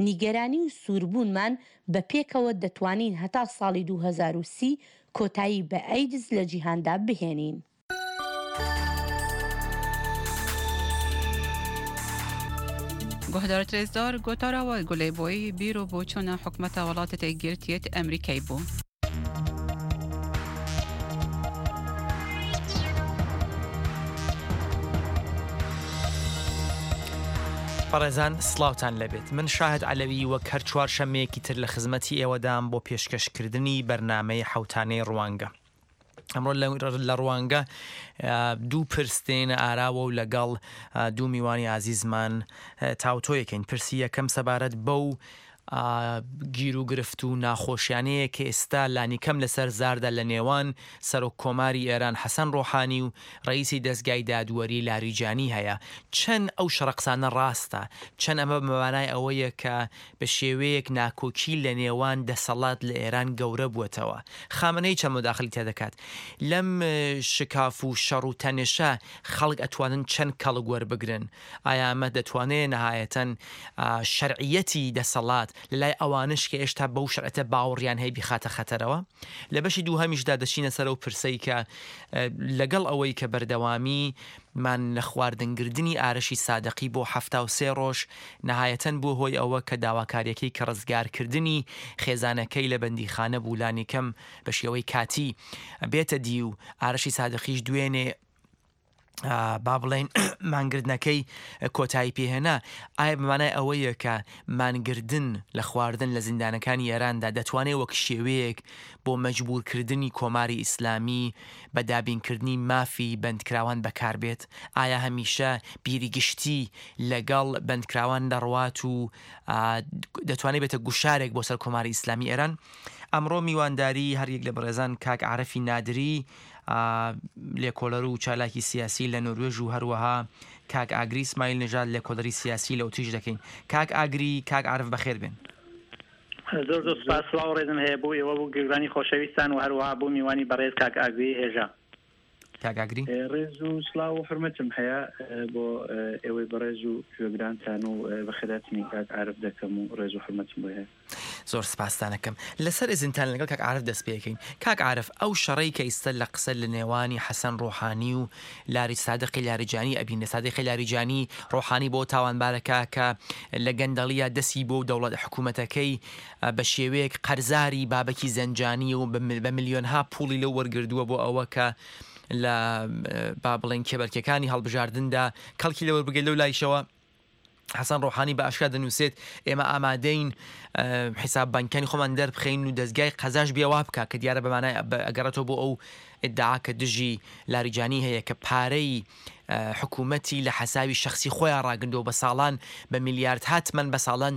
نیگەرانی و سووربوونمان بە پێکەوە دەتوانین هەتا ساڵی 2030 کۆتایی بە ئەیدز لە جیهاندا بهێنین. گوهدار ترێزدار گۆتارا وای گولەی بۆی بیر و بۆچوونە حکومەتە وڵاتە یەکگرتیەت ئەمریکای بوو. بەڕێزان سڵاوتان لێبێت من شاهد عەلەوی وەک هەر چوارشەممەیەکی تر لە خزمەتی ئێوەدام بۆ پێشکەشکردنی بەرنامەی حەوتانەی ڕوانگە. ئەمڕۆ لە ڕوانگە دوو پرس دێنە ئاراوە و لەگەڵ دوو میوانی ئازیزمان تاوتۆیەکەین پرسی یەکەم سەبارەت بەو گیروگرفت و ناخۆشیانەیە کە ئێستا لانیکەم لەسەر زاردا لە نێوان سەرۆک کۆماری ئێران حەسەن ڕۆحانی و ڕئیسی دەزگای دادوەری لاریجانی هەیە چەند ئەو شەڕە قسانە ڕاستە چەند ئەمە بە مانای ئەوەیە کە بە شێوەیەک ناکۆکی لە نێوان دەسەڵات لە ئێران گەورە بووەتەوە. خامنەیی چەند موداخلی تیا دەکات؟ لەم شکاف و شەڕ و تەنشە خەڵک ئەتوانن چەند کەڵک وەربگرن؟ ئایا ئەمە دەتوانێ نەهایەتەن شەرعیەتی دەسەڵات لە لای ئەوانەش کە ئێشتا بەو شەرعیەتە باوەڕیان هەیە بیخاتە خەتەرەوە؟ لە بەشی دووهەمیشدا دەچینە سەر ئەو پرسەی کە لەگەڵ ئەوەی کە بەردەوامی مان لە خواردنگردنی ئارەشی سادقی بۆ 73 ڕۆژ نەهایەتەن بووە هۆی ئەوە کە داواکاریەکەی کە ڕزگارکردنی خێزانەکەی لە بەندیخانە بوو لانیکەم بە شێوەی کاتی بێتە دی و ئارەشی سادقیش دوێنێ با بڵێین مانگردنەکەی کۆتایی پێهێنا ئایا بەمانای ئەوەیە کە مانگردن لە خواردن لە زیندانەکانی ئێراندا دەتوانێت وەک شێوەیەک بۆ مەجبورکردنی کۆماری ئیسلامی بە دابینکردنی مافی بەندکراوان بەکاربێت؟ ئایا هەمیشە بیری گشتی لەگەڵ بەندکراوان دەڕوات و دەتوانێت بێتە گوشارێک بۆ سەر کۆماری ئیسلامی ئێران؟ ئەمڕۆ میوانداری هەریەک لە بەڕێزان کاک عارفی نادری لێکۆلەر و چالاکی سیاسی لە نۆروێژ و هەروەها کاک ئاگری سمایل نژاد لێکۆلەری سیاسی لە ئوتریش دەکەین. کاک ئاگری، کاک عارف بەخێر بێن. زۆر زۆر سوپاس، سڵاو و ڕێزم هەیە بۆ ئێوە و گوێگرانی خۆشەویستان و هەروەها بۆ میوانی بەڕێز کاک ئاگری هێژا. کاک ئاگری. ڕێز و سڵاو و حورمەتم هەیە بۆ ئێوەی بەڕێز و گوێگرانتان و بەخێرهاتنی کاک عارف دەکەم و ڕێز و حورمەتم بۆی هەیە. زۆر سپاستان ئەکەم. لەسەر ئیزنتان لەگەڵ کاک عارف دەست پێ ئەکەین. کاک عارف ئەو شەڕەی کە ئیستە لە قسە لە نێوانی حەسەن ڕۆحانی و لاری سادقی لاریجانی ئەبینرێ سادقی لاریجانی ڕۆحانی بۆ تاوانبارەکە کە لە گەندەڵیە دەسی بۆ دەوڵەت حکوومەتەکەی بە شێوەیەک قەرزاری بابەکی زەنجانی و بە ملیۆنها پوڵی لەو وەرگردووە بۆ ئەوە کە لە با بڵێن کێبەرکێکانی هەڵبژاردندا کەڵکی لەوەربگرێت لەو لایشەوە حەسەن ڕۆحانی بە ئاشکرا دەنووسێت ئێمە ئامادەین حیساب بانکیانی خۆمان دەربخەین و دەزگای قەزاش بێ وا بکا کە دیارە بە مانای ئەگەڕێتەوە بۆ ئەو ئیدعا کە دژی لاریجانی هەیە کە پارەی حکوومەتی لە حەساوی شخصی خۆیان ڕاگرندەوە بە ساڵان بە میلیاردها تمەن بە ساڵان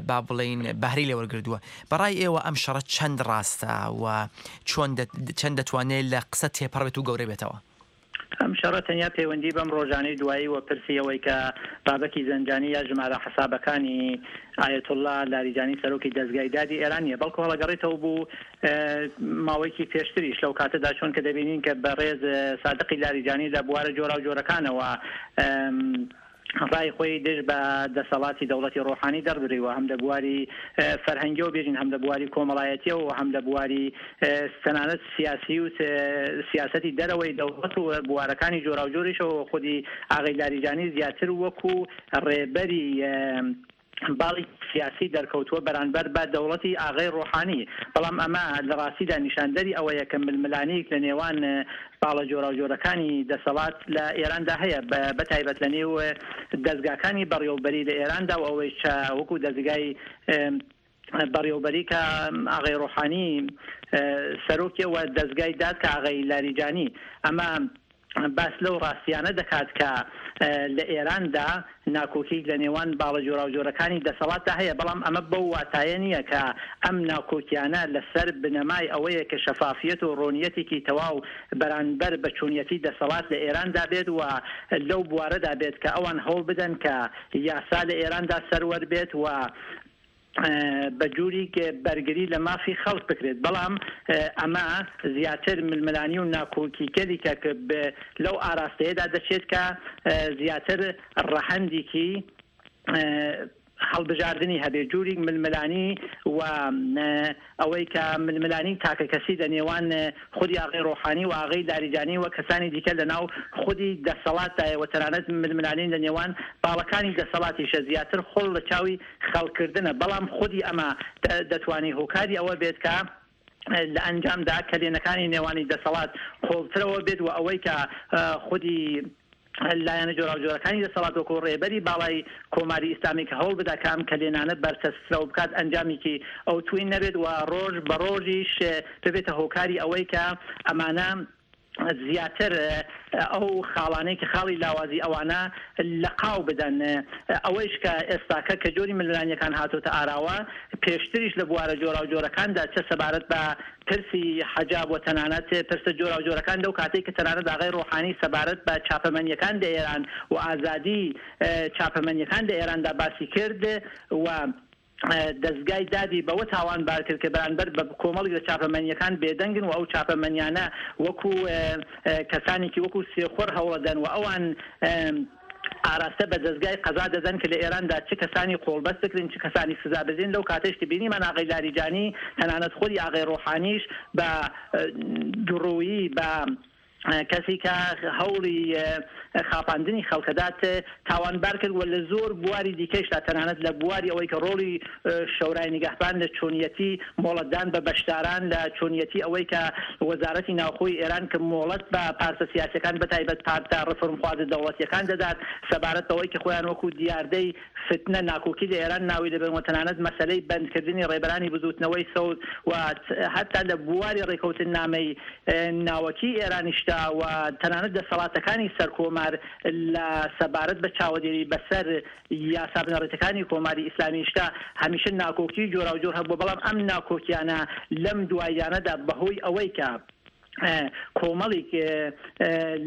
با بڵێین بەهرەی لێوەرگردووە بەڕای ئێوە ئەم شەڕە چەند ڕاستە و چۆن چەند دەتوانێت لە قسە تێپەڕ بێت و گەورە بێتەوە؟ ئەم شەڕە تەنیا پەیوەندی بەم ڕۆژانەی دوایی و پرسی ئەوەی کە بابەکی زەنجانی یا ژمارە حەسابەکانی ئایەتوڵڵا لاریجانی سەرۆکی دەزگای دادی ئێران نییە بەڵکو هەڵەگەڕێتەوە بوو ماوەیەکی پێشتریش لەو کاتەدا چۆن کە دەبینین کە بەڕێز سادقی لاریجانی لە بوارە جۆراوجۆرەکانەوە ڕای خۆی دژ بە دەسەڵاتی دەوڵەتی ڕۆحانی دەربریوە هەم لە بواری فەرهەنگیەوە بێژین هەم لە بواری کۆمەڵایەتیەوە و هەم لە بواری تەنانەت سیاسی و سیاسەتی دەرەوەی دەوڵەت و بوارەکانی جۆراوجۆریشەوە خودی ئاغەی لاریجانی زیاتر وەکو ڕێبەری باڵی سیاسی دەرکەوتووە بەرانبەر بە دەوڵەتی ئاغای ڕۆحانی، بەڵام ئەمە لە ڕاستیدا نیشاندەری ئەوەیە کە ململانێیەک لە نێوان باڵە جۆراوجۆرەکانی دەسەڵات لە ئێراندا هەیە بە تایبەت لە نێو دەزگاکانی بەڕێوەبەری لە ئێراندا و ئەوەیش چە وەکوو دەزگای بەڕێوەبەری کە ئاغای ڕۆحانی سەرۆکیە و دەزگای داد کە ئاغای لاریجانی ئەمە. باس لەو ڕاستیانە دەکات کە لە ئێراندا ناکۆکی لە نێوان باڵە جۆراوجۆرەکانی دەسەڵاتدا هەیە، بەڵام ئەمە بەو واتایە نییە کە ئەم ناکۆکیانە لە سەر بنەمای ئەوەیە کە شەفافیەت و ڕوونیەتێکی تەواو بەرانبەر بە چۆنیەتی دەسەڵات لە ئێراندا بێت و لەو بوارەدا بێت کە ئەوان هەوڵ بدەن کە یاسا لە ئێراندا سەروەر بێت و بە جوریک بەرگری لە مافی خەڵک بکرێت، بەڵام ئەمە زیاتر ململانی و ناکۆکیگەلیکە کە لەو ئاراستەیەدا دەچێت کە زیاتر ڕەهەندیکی هەڵبژاردنی هەبێت، جوریک ململانی و ئەوەی کە ململانی تاکەکەسی لە نێوان خودی ئاغای ڕۆحانی و ئاغای لاریجانی و کەسانی دیکە لە ناو خودی دەسەڵاتدایە و تەنانەت ململانی لە نێوان باڵەکانی دەسەڵاتیشە زیاتر خۆڵ لە چاوی خەڵککردنە، بەڵام خودی ئەمە دەتوانی هۆکاری ئەوە بێت کە لە ئەنجامدا کەلێنەکانی نێوانی دەسەڵات قوڵترەوە بێت و ئەوەی کە خودی لایەنە جۆراوجۆرەکانی دەسەڵات وەکوو ڕێبەری باڵای کۆماری ئیسلامی کە هەوڵ بدا کە ئەم کەلێنانە بەرتەسکترەوە بکات ئەنجامیکی ئەوتووی نەبێت و ڕۆژ بە ڕۆژیش ببێتە هۆکاری ئەوەی کە ئەمانە زیاتر ئەو خاڵانەی کە خاڵی لاوازی ئەوانە لە قاو بدەن. ئەوەیش کە ئێستاکە کە جۆری ململانییەکان هاتۆتە ئاراوە، پێشتریش لە بوارە جۆراوجۆرەکاندا چە سەبارەت بە پرسی حەجاب و تەنانەت پرسە جۆراوجۆرەکان لەو کاتەی کە تەنانەت ئاغای ڕۆحانی سەبارەت بە چاپەمەنییەکان لە ئێران و ئازادی چاپەمەنییەکان لە ئێراندا باسی کرد و دەزگای دادی بەوە تاوانبار کرد کە بەرانبەر بە کۆمەڵیک لە چاپەمەنییەکان بێدەنگن و ئەو چاپەمەنیانە وەکو کەسانێکی وەکو سێخوڕ هەوڵەدەن و ئەوان ئاراستە بە دەزگای قەزا دەدەن کە لە ئێراندا چ کەسانی قۆڵبەست بکرێن چ کەسانی سزا بدرێن لەو کاتەیش کە بینیمان ئاغای لاریجانی تەنانەت خودی ئاغای ڕۆحانیش بە دوڕوویی بە کەسی کە هەوڵی خاپاندنی خەڵکەدات تاوانبار کرد و لە زۆر بواری دیکەیشدا تەنانەت لە بواری ئەوەی کە ڕۆڵی شەورای نیگەهبان لە چۆنیەتی مۆڵەتدان بە بەشداران لە چۆنیەتی ئەوەی کە وەزارەتی ناوخۆی ئێران کە مۆڵەت بە پارتە سیاسیەکان بە تایبەت پارتە ڕێفۆرمخوازە دەوڵەتیەکان دەدات سەبارەت بەوەی کە خۆیان وەکوو دیاردەی فتنە ناکۆکی لە ئێران ناوی دەبەن و تەنانەت مەسەلەی بەندکردنی ڕێبەرانی بزووتنەوەی سەوز و هەتا لە بواری ڕێکەوتننامەی ناوەکی ئێرانیشدا و تەنانەت دەسەڵاتەکانی سەرکۆمار لە سەبارەت بە چاوەدێری بەسەر یاسا بنەڕەتیەکانی کۆماری ئیسلامیشدا هەمیشە ناکۆکی جۆراوجۆر هەبووە، بەڵام ئەم ناکۆکیانە لەم دواییانەدا بەهۆی ئەوەی کە کۆمەڵیک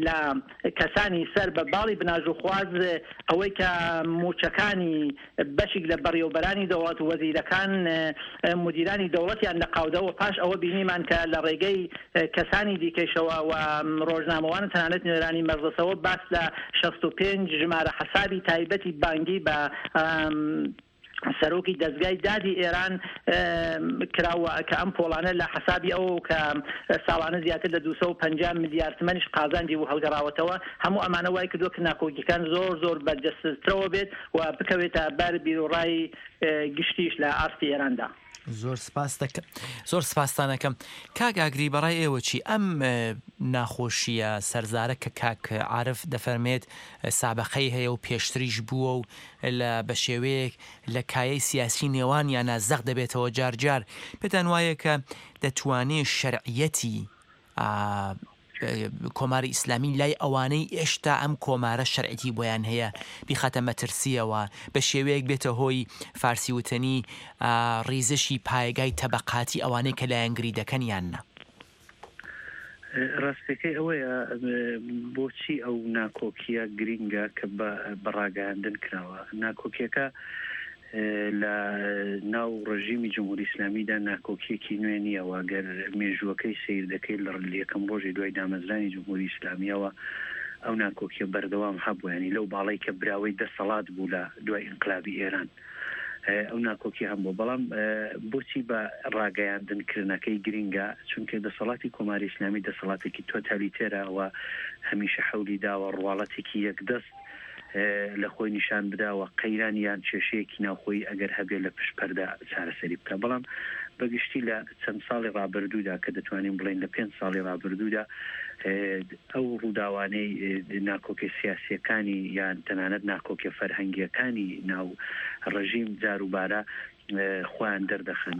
لە کەسانی سەر بە باڵی بناژوخواز ئەوەی کە مووچەکانی بەشیک لە بەڕێوەبەرانی دەوڵەت، وەزیرەکان، مودیرانی دەوڵەتیان لە قاودا و پاش ئەوە بینیمان کە لە ڕێگەی کەسانی دیکەیشەوە و ڕۆژنامەوان و تەنانەت نوێنەرانی مەجڵسەوە باس لە 65 ژمارە حەسابی تایبەتی بانگی بە سەرۆکی دەزگای دادی ئێران کرا و کە ئەم پۆڵانە لە حەسابی ئەوە کە ساڵانە زیاتر لە 250 ملیار تمەنیش قازانجی بوو هەڵگەڕاوەتەوە هەموو ئەمانە وای کردووە کە ناکۆکیەکان زۆر زۆر بەرجەستەترەوە بێت و بکەوێتە بەر بیروڕای گشتیش لە ئاستی ئێراندا. زۆر سپاس دەکەم زۆر سپاستان ئەکەم کاک ئاگری بەڕای ئێوە چی ئەم ناخۆشیە سەرزارە کە کاک عارف دەفەرمێت سابەقەی هەیە و پێشتریش بووە و لە بە شێوەیەک لە کایەی سیاسی نێوانیانە زەق دەبێتەوە جار جار پێتان وایە کە دەتوانێ شەرعیەتی کۆماری ئیسلامی لای ئەوانەی ئێشتا ئەم کۆمارە شەرعیی بۆیان هەیە بیخاتە مەترسییەوە، بە شێوەیەک بێتە هۆی فارسی وتەنی ڕیزشی پایەگای تەبەقاتی ئەوانەی کە لایەنگری دەکەن یان نا؟ ڕاستیەکەی ئەوەیە بۆچی ئەو ناکۆکییە گرینگە کە بە ڕاگەیاندن کراوە؟ ناکۆکییەکە لە ناو ڕژیمی جمهوری ئیسلامیدا ناکۆکیەکی نوێ نییە و گەر مێژووەکەی سەیر دەکەی لە یەکەم ڕۆژی دوای دامەزرانی جمهوری ئیسلامیەوە ئەو ناکۆکیە بەردەوام هەبوو یانی لەو باڵەی کە براوەی دەسەڵات بوو لە دوای ئینقلابی ئێران ئەو ناکۆکی هەم بوو بەڵام بۆچی بە ڕاگەیاندن کردنەکەی گرینگە چونکە دەسەڵاتی کۆماری ئیسلامی دەسەڵاتێکی تۆتالیتێرە و هەمیشە حەولی داوە ڕواڵەتێکی یەکدەست لە خۆی نیشان بدا و قەیران یان کێشەیەکی ناوخۆیی ئەگەر هەبێ لە پشت پەردە چارەسەری بکا. بەڵام بە گشتی لە چەند ساڵی ڕابردوودا کە دەتوانین بڵێین لە پێنج ساڵی ڕابردوودا ئەو ڕووداوانەی ناکۆکیە سیاسییەکانی یان تەنانەت ناکۆکیە فەرهەنگییەکانی ناو ڕژیم جاروبارە خۆیان دەردەخەن.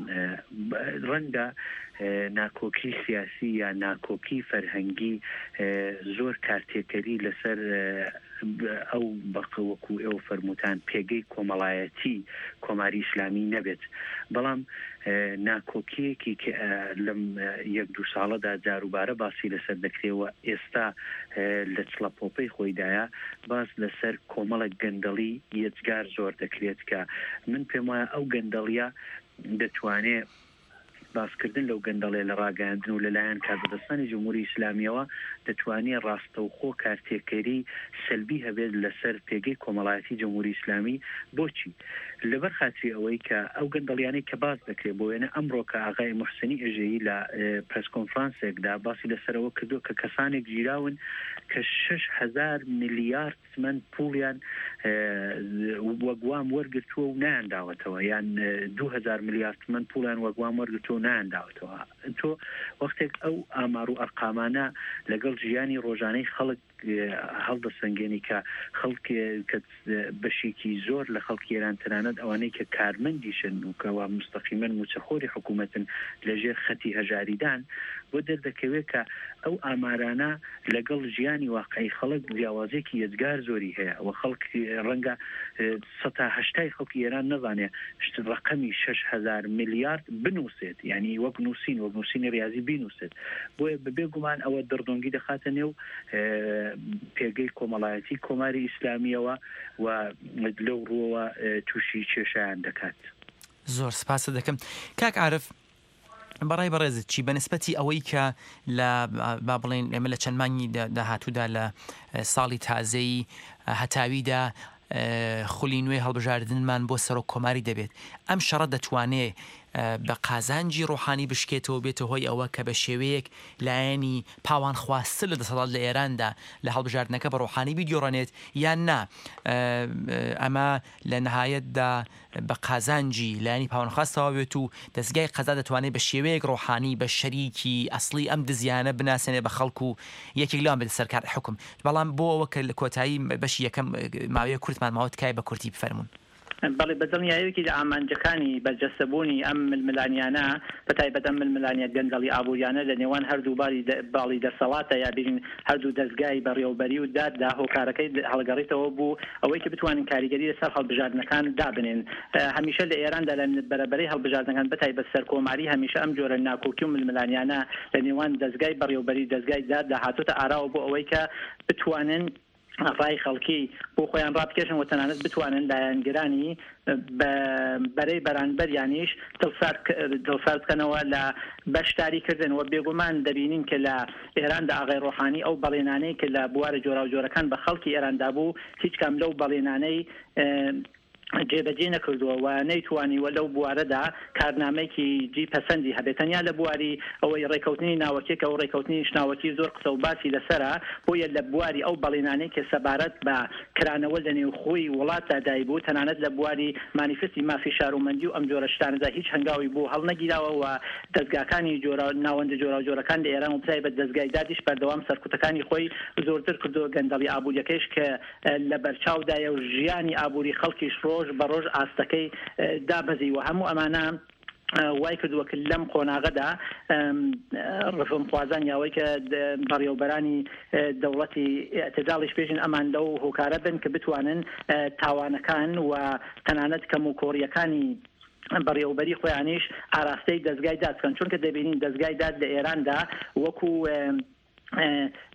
ڕەنگە. ناکۆکی سیاسی یا ناکۆکی فەرهەنگی زۆر کارتێکەری لەسەر ئەو بەق وەکوو ئێوە فەرمووتان پێگەی کۆمەڵایەتی کۆماری ئیسلامی نەبێت بەڵام ناکۆکییەکی کە لەم یەک دوو ساڵەدا جاروبارە باسی لەسەر دەکرێ و ئێستا لە چڵەپۆپەی خۆیدایە باس لەسەر کۆمەڵێک گەندەڵی یەجگار زۆر دەکرێت کە من پێم وایە ئەو گەندەڵیە دەتوانێ باسکردن لەو گەندەڵیە لە ڕاگەیاندن و لەلایەن کاربەدەستانی جمهوری ئیسلامیەوە دەتوانێ ڕاستەوخۆ کارتێکەری سەلبی هەبێت لەسەر پێگەی کۆمەڵایەتی جمهوری ئیسلامی بۆچی؟ لەبەر خاتری ئەوەی کە ئەو گەندەڵیانەی کە باس دەکرێت بۆ وێنە ئەمڕۆ کە ئاغای موحسنی ئێژەیی لە پرێس کۆنفرانسێکدا باسی لەسەر ئەوە کردووە کە کەسانێک گیراون کە 6000 میلیارد تمەن پوڵیان وەک وام وەرگرتووە و نایانداوەتەوە یان 2000 میلیارد تمەن پوڵیان وەک وام وەرگرتووە و نایانداوەتەوە تۆ وەختێک ئەو ئامار و ئەرقامانە لەگەڵ ژیانی ڕۆژانەی خەڵک هەڵدەسەنگێنی کە خەڵک کە بەشێکی زۆر لە خەڵکی ئێران تەنانەت ئەوانەی کە کارمەندیشن و کەوا موستەقیمەن مووچەخۆری حکوومەتن لەژێر خەتی هەژاریدان بۆ دەردەکەوێت کە ئەو ئامارانە لەگەڵ ژیانی واقعی خەڵک جیاوازیەکی یەجگار زۆری هەیە و خەڵک ڕەنگە سەتا هەشتای خەڵکی ئێران نەزانێ ڕەقەمی 6000 میلیارد بنووسێت یعنی وەک نووسین وەک نووسینی ڕاضی بینووسێت بۆیە بەبێ گومان ئەوە دڕدۆنگی دەخاتە نێو پێگەی کۆمەڵایەتی کۆماری ئیسلامیەوە و لەو ڕووەوە تووشی کێشیان دەکات. زۆر سپاست دەکەم کاک عارف بەڕای بەڕێزت چی بە نسبەتی ئەوەی کە لە با بڵێین ئێمە لە چەند مانگی داهاتوودا لە ساڵی تازەی هەتاویدا خولی نوێی هەڵبژاردنمان بۆ سەرۆک کۆماری دەبێت ئەم شەڕە دەتوانێ بە قازانجی ڕۆحانی بشکێتەوە بێتە هۆی ئەوە کە بە شێوەیەک لایەنی پاوانخواستر لە دەسەڵات لە ئێراندا لە هەڵبژاردنەکە بە ڕۆحانی بیدۆڕێنێت یان نا ئەمە لە نهایەتدا بە قازانجی لایەنی پاوانخواز تەواو بێت و دەزگای قەزا دەتوانێت بە شێوەیەک ڕۆحانی بە شەریکی ئەسڵی ئەم دزیانە بناسێنێت بە خەڵک و یەکێک لەوان بێتە سەر کار حوکم بەڵام بۆ ئەوە کە لە کۆتایی بەشی یەکەم ماوەیەک کورتمان ماوە تکایە بە کورتی بفەرموون. بەڵێ بە دڵنیایەوە یەکێک لە ئامانجەکانی بەرجەستەبوونی ئەم ململانیانە بە تایبەت ئەم ململانیە گەندەڵی ئابووریانە لە نێوان هەردوو باڵی باڵی دەسەڵاتە یا بیرین هەردوو دەزگای بەڕێوەبەری و داددا هۆکارەکەی هەڵگەڕیتەوە بوو ئەوەی کە بتوانن کاریگەری لەسەر هەڵبژاردنەکان دابنێن. هەمیشە لە ئێراندا لە بەرەبەرەی هەڵبژاردنەکان بەتایبەت سەرکۆماری هەمیشە ئەم جۆرە ناکۆکی و ململانیانە لە نێوان دەزگای بەڕێوەبەری و دەزگای داددا هاتۆتە ئاراوە بۆ ئەوەی کە بتوانن ڕای خەڵکی بۆ خۆیان ڕابکێشن و تەنانەت بتوانن لایەنگرانی بە بەرەی بەرانبەریانیش دڵسارد بکەنەوە لە بەشداری کردن و بێگومان دەبینین کە لە ئێراندا ئاغای ڕۆحانی ئەو بەڵێنانەی کە لە بوارە جۆراوجۆرەکان بە خەڵکی ئێران دابوو هیچ کام لەو بەڵێنانەی جێبەجێ نەکردووە و نەیتوانیوە لەو بوارەدا کارنامەیەکی جی پەسەندی هەبێت تەنیا لە بواری ئەوەی ڕێکەوتنی ناوەکیە کە ئەو ڕێکەوتنیش ناوەکی زۆر قسە و باسی لەسەرە بۆیە لە بواری ئەو بەڵێنانەی کە سەبارەت بە کرانەوە لە نێوخۆی وڵاتدا دایبوو تەنانەت لە بواری مانیفستی مافی شارومەندی و ئەم جۆرە شتانەدا هیچ هەنگاوی بۆ هەڵنەگیراوە و دەزگاکانی جۆرا ناوەندە جۆراوجۆرەکان لە ئێران و بەتایبەت دەزگای دادیش بەردەوام سەرکوتەکانی خۆی زۆرتر کردووە گەندەڵی ئابووریەکەیش کە لە بەرچاودایە و ژیانی ئابووری خەڵکیش ڕۆژ بە ڕۆژ ئاستەکەی دابەزیوە هەموو ئەمانە وای کردووە کە لەم قۆناغەدا ڕفۆمخوازان یاوەی کە بەڕێوەبەرانی دەوڵەتی ئیعتداڵیش پێشن ئەمان لەو هۆکارە بن کە بتوانن تاوانەکان و تەنانەت کەم و کۆڕیەکانی بەڕێوەبەری خۆیانیش ئاراستەی دەزگای داد بکەن چونکە دەبینین دەزگای داد لە ئێراندا وەکو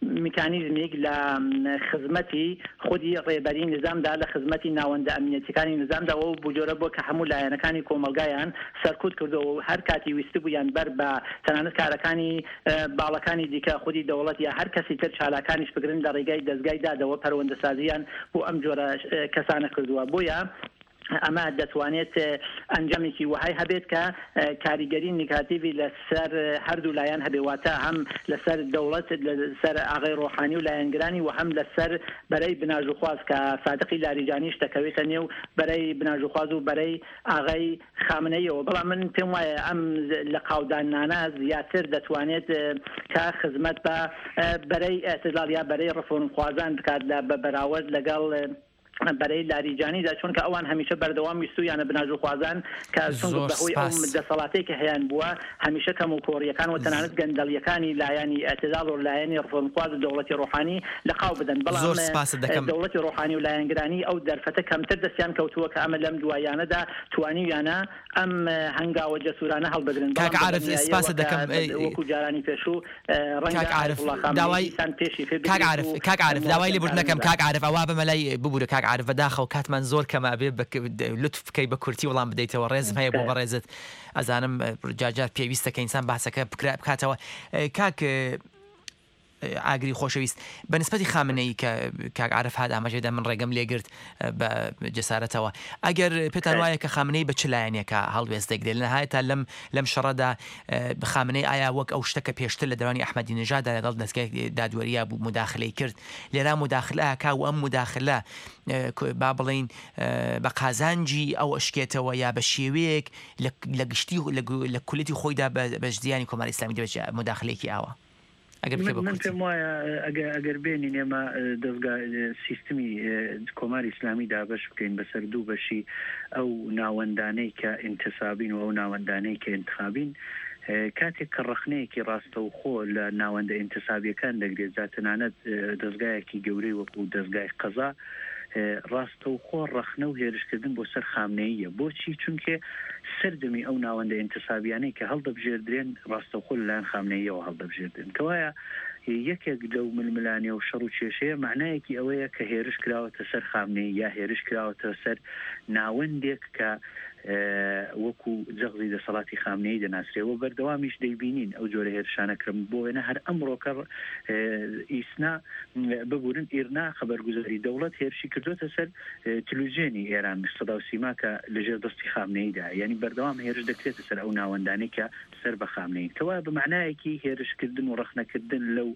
میکانیزمیک لە خزمەتی خودی ڕێبەری نیزامدا، لە خزمەتی ناوەندە ئەمنیەتیەکانی نیزامدا و بەو جۆرە بووە کە هەموو لایەنەکانی کۆمەڵگایان سەرکوت کردووە و هەر کاتی ویستبوویان بەر بە تەنانەت کارەکانی باڵەکانی دیکە خودی دەوڵەت یا هەر کەسی تر چالاکانیش بگرن لە ڕێگای دەزگای دادەوە پەروەندەسازییان بۆ ئەم جۆرە کەسانە کردووە بۆیە ئەمە دەتوانێت ئەنجامێکی وەهای هەبێت کە کاریگەری نیگاتیڤی لەسەر هەردوو لایەن هەبێ، واتە هەم لەسەر دەوڵەت، لەسەر ئاغای ڕۆحانی و لایەنگرانی و هەم لەسەر بەرەی بناژوخواز کە سادقی لاریجانیش دەکەوێتە نێو بەرەی بناژوخواز و بەرەی ئاغای خامنەییەوە. بەڵام من پێم وایە ئەم لەقاوداننانە زیاتر دەتوانێت کە خزمەت بە بەرەی ئیعتداڵ یا بەرەی ڕفۆرمخوازان بکات لە بە بەراوەرد لەگەڵ. بەرەی لاریجانیدا چونکە ئەوان هەمیشە بەردەوام ویستوویانە بناژوخوازان کە چونکە زۆر بەهۆی ئەو سپاس. دەسەڵاتەی کە هەیان بووە هەمیشە کەم و کۆڕییەکان و تەنانەت گەندەڵییەکانی لایەنی ئیعتداڵ و لایەنی ڕفۆرمخواز و دەوڵەتی ڕۆحانی لە قاو بدەن بەڵام زۆر سپاست دەکەم. دەوڵەتی ڕۆحانی و لایەنگرانی ئەو دەرفەتە کەمتر دەستیان کەوتووە کە ئەمە لەم دواییانەدا توانیویانە ئەم هەنگاوە جەسوورانە هەڵبگرن کاک بەڵام بە عارف دڵنیاییەوە سپاست کە دەکەم وەکوو جارانی پێشوو ڕەنگە کاک عارف ئایەتوڵڵا خامنەیی داوای دیسان پێشی پێ کاک بگرێت عارف و کاک عارف داوای مۆڵەتیان لێبوردن پارە ئەکەم نەدات. کاک عارف ئەوا بەمە لای ببورە کاک عارف بەداخەوە کاتمان زۆر کەمە ئەبێ بە لوتف بکەی بە کورتی وڵام بدەیتەوە ڕێزم هەیە بۆ تکایە. بەڕێزت ئەزانم جار جار پێویستە کە ئینسان باسەکە بکرا بکاتەوە کاک ئاگری خۆشەویست بە نسبەتی خامنەیی کە کاک عارف هات ئاماژەی دا من ڕێگەم لێگرت بە جەسارەتەوە ئەگەر پێتان وایە کە خامنەیی بە چ لایەنێکە هەڵوێست دەگرێت لە نهایەتا لەم لەم شەڕەدا خامنەیی ئایا وەک ئەو شتە کە پێشتر لە دەوانی ئەحمەدی نژادا لەگەڵ دەزگای دادوەرییا بوو موداخلەی کرد لێرا موداخلە ئەکا و ئەم موداخلە با بڵێین بە قازانجی ئەو ئەشکێتەوە یا بە شێوەیەک لە گشتی لە کولیەتی خۆیدا بە زیانی کۆماری ئیسلامی دەبێت موداخلەیەکی ئاوا ئەگەر بکرێ من بە من کورتی. پێم وایە ئەگە ئەگەر بێنین ئێمە دەزگا سیستمی کۆماری ئیسلامی دابەش بکەین بەسەر دوو بەشی ئەو ناوەندانەی کە ئینتسابین و ئەو ناوەندانەی کە ئینتخابین کاتێک کە ڕەخنەیەکی ڕاستەوخۆ لە ناوەندە ئینتسابیەکان دەگرێت جا تەنانەت دەزگایەکی گەورەی وەکوو دەزگای قەزا ڕاستەوخۆ ڕەخنە و هێرشکردن بۆ سەر خامنەییە. بۆچی؟ چونکێ سەرجەمی ئەو ناوەندە ئینتسابیانەی کە هەڵدەبژێردرێن ڕاستەوخۆ لەلایەن خامنەییەوە هەڵدەبژێردرێن. کەوایە یەکێک لەو ململانێ و شەڕ و کێشەیە مەعنایەکی ئەوەیە کە هێرش کراوەتە سەر خامنەیی یا هێرش کراوەتە سەر ناوەندێک کە وەکو جەغزی دەسەڵاتی خامنەیی دەناسرێ و بەردەوامیش دەیبینین ئەو جۆرە هێرشانە کرم بۆ وێنە هەر ئەمڕۆکە ئیسنا ببورن ئیرنا خەبەرگوزاری دەوڵەت هێرشی کردوەتە سەر تلوزیۆنی ئێران سەدا و سیما کە لەژێر دەستی خامنەییدا یانی بەردەوام هێرش دەکرێتە سەر ئەو ناوەندانەی کە سەر بە خامنەیین کەوایە بە مەعنایەکی هێرشکردن و ڕەخنەکردن لەو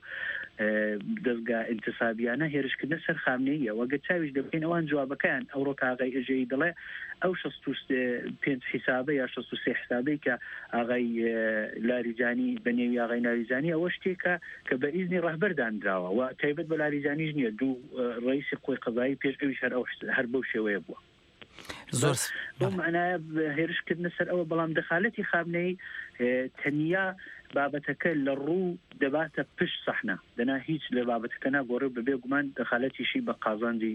دەزگا ئینتسابیانە هێرشکردنە سەر خامنەییە و گەر چاویش لێ بکەین ئەوان جوابەکەیان ئەوڕۆ کە ئاغای ئێژەیی دەڵێ ئەو 65 حیسابە یا 63 حسابەی کە ئاغای لاریجانی بە نێوی ئاغای لاریجانی ئەوە شتێکە کە بە ئیزنی ڕەهبەر دانراوە و تایبەت بە لاریجانیش نییە دوو ڕئیسی قوەی قەزایی پێش ئەویش هەر ئەو هەر بەو شێوەیە بووە. زۆر بەو مەعنایە هێرش کردنە سەر ئەوە بەڵام دەخالەتی خامنەیی تەنیا بابەتەکە لە ڕوو دەباتە پشت سەحنە دەنا هیچ لە بابەتەکە ناگۆڕێ و بەبێ گومان دەخالەتیشی بە قازانجی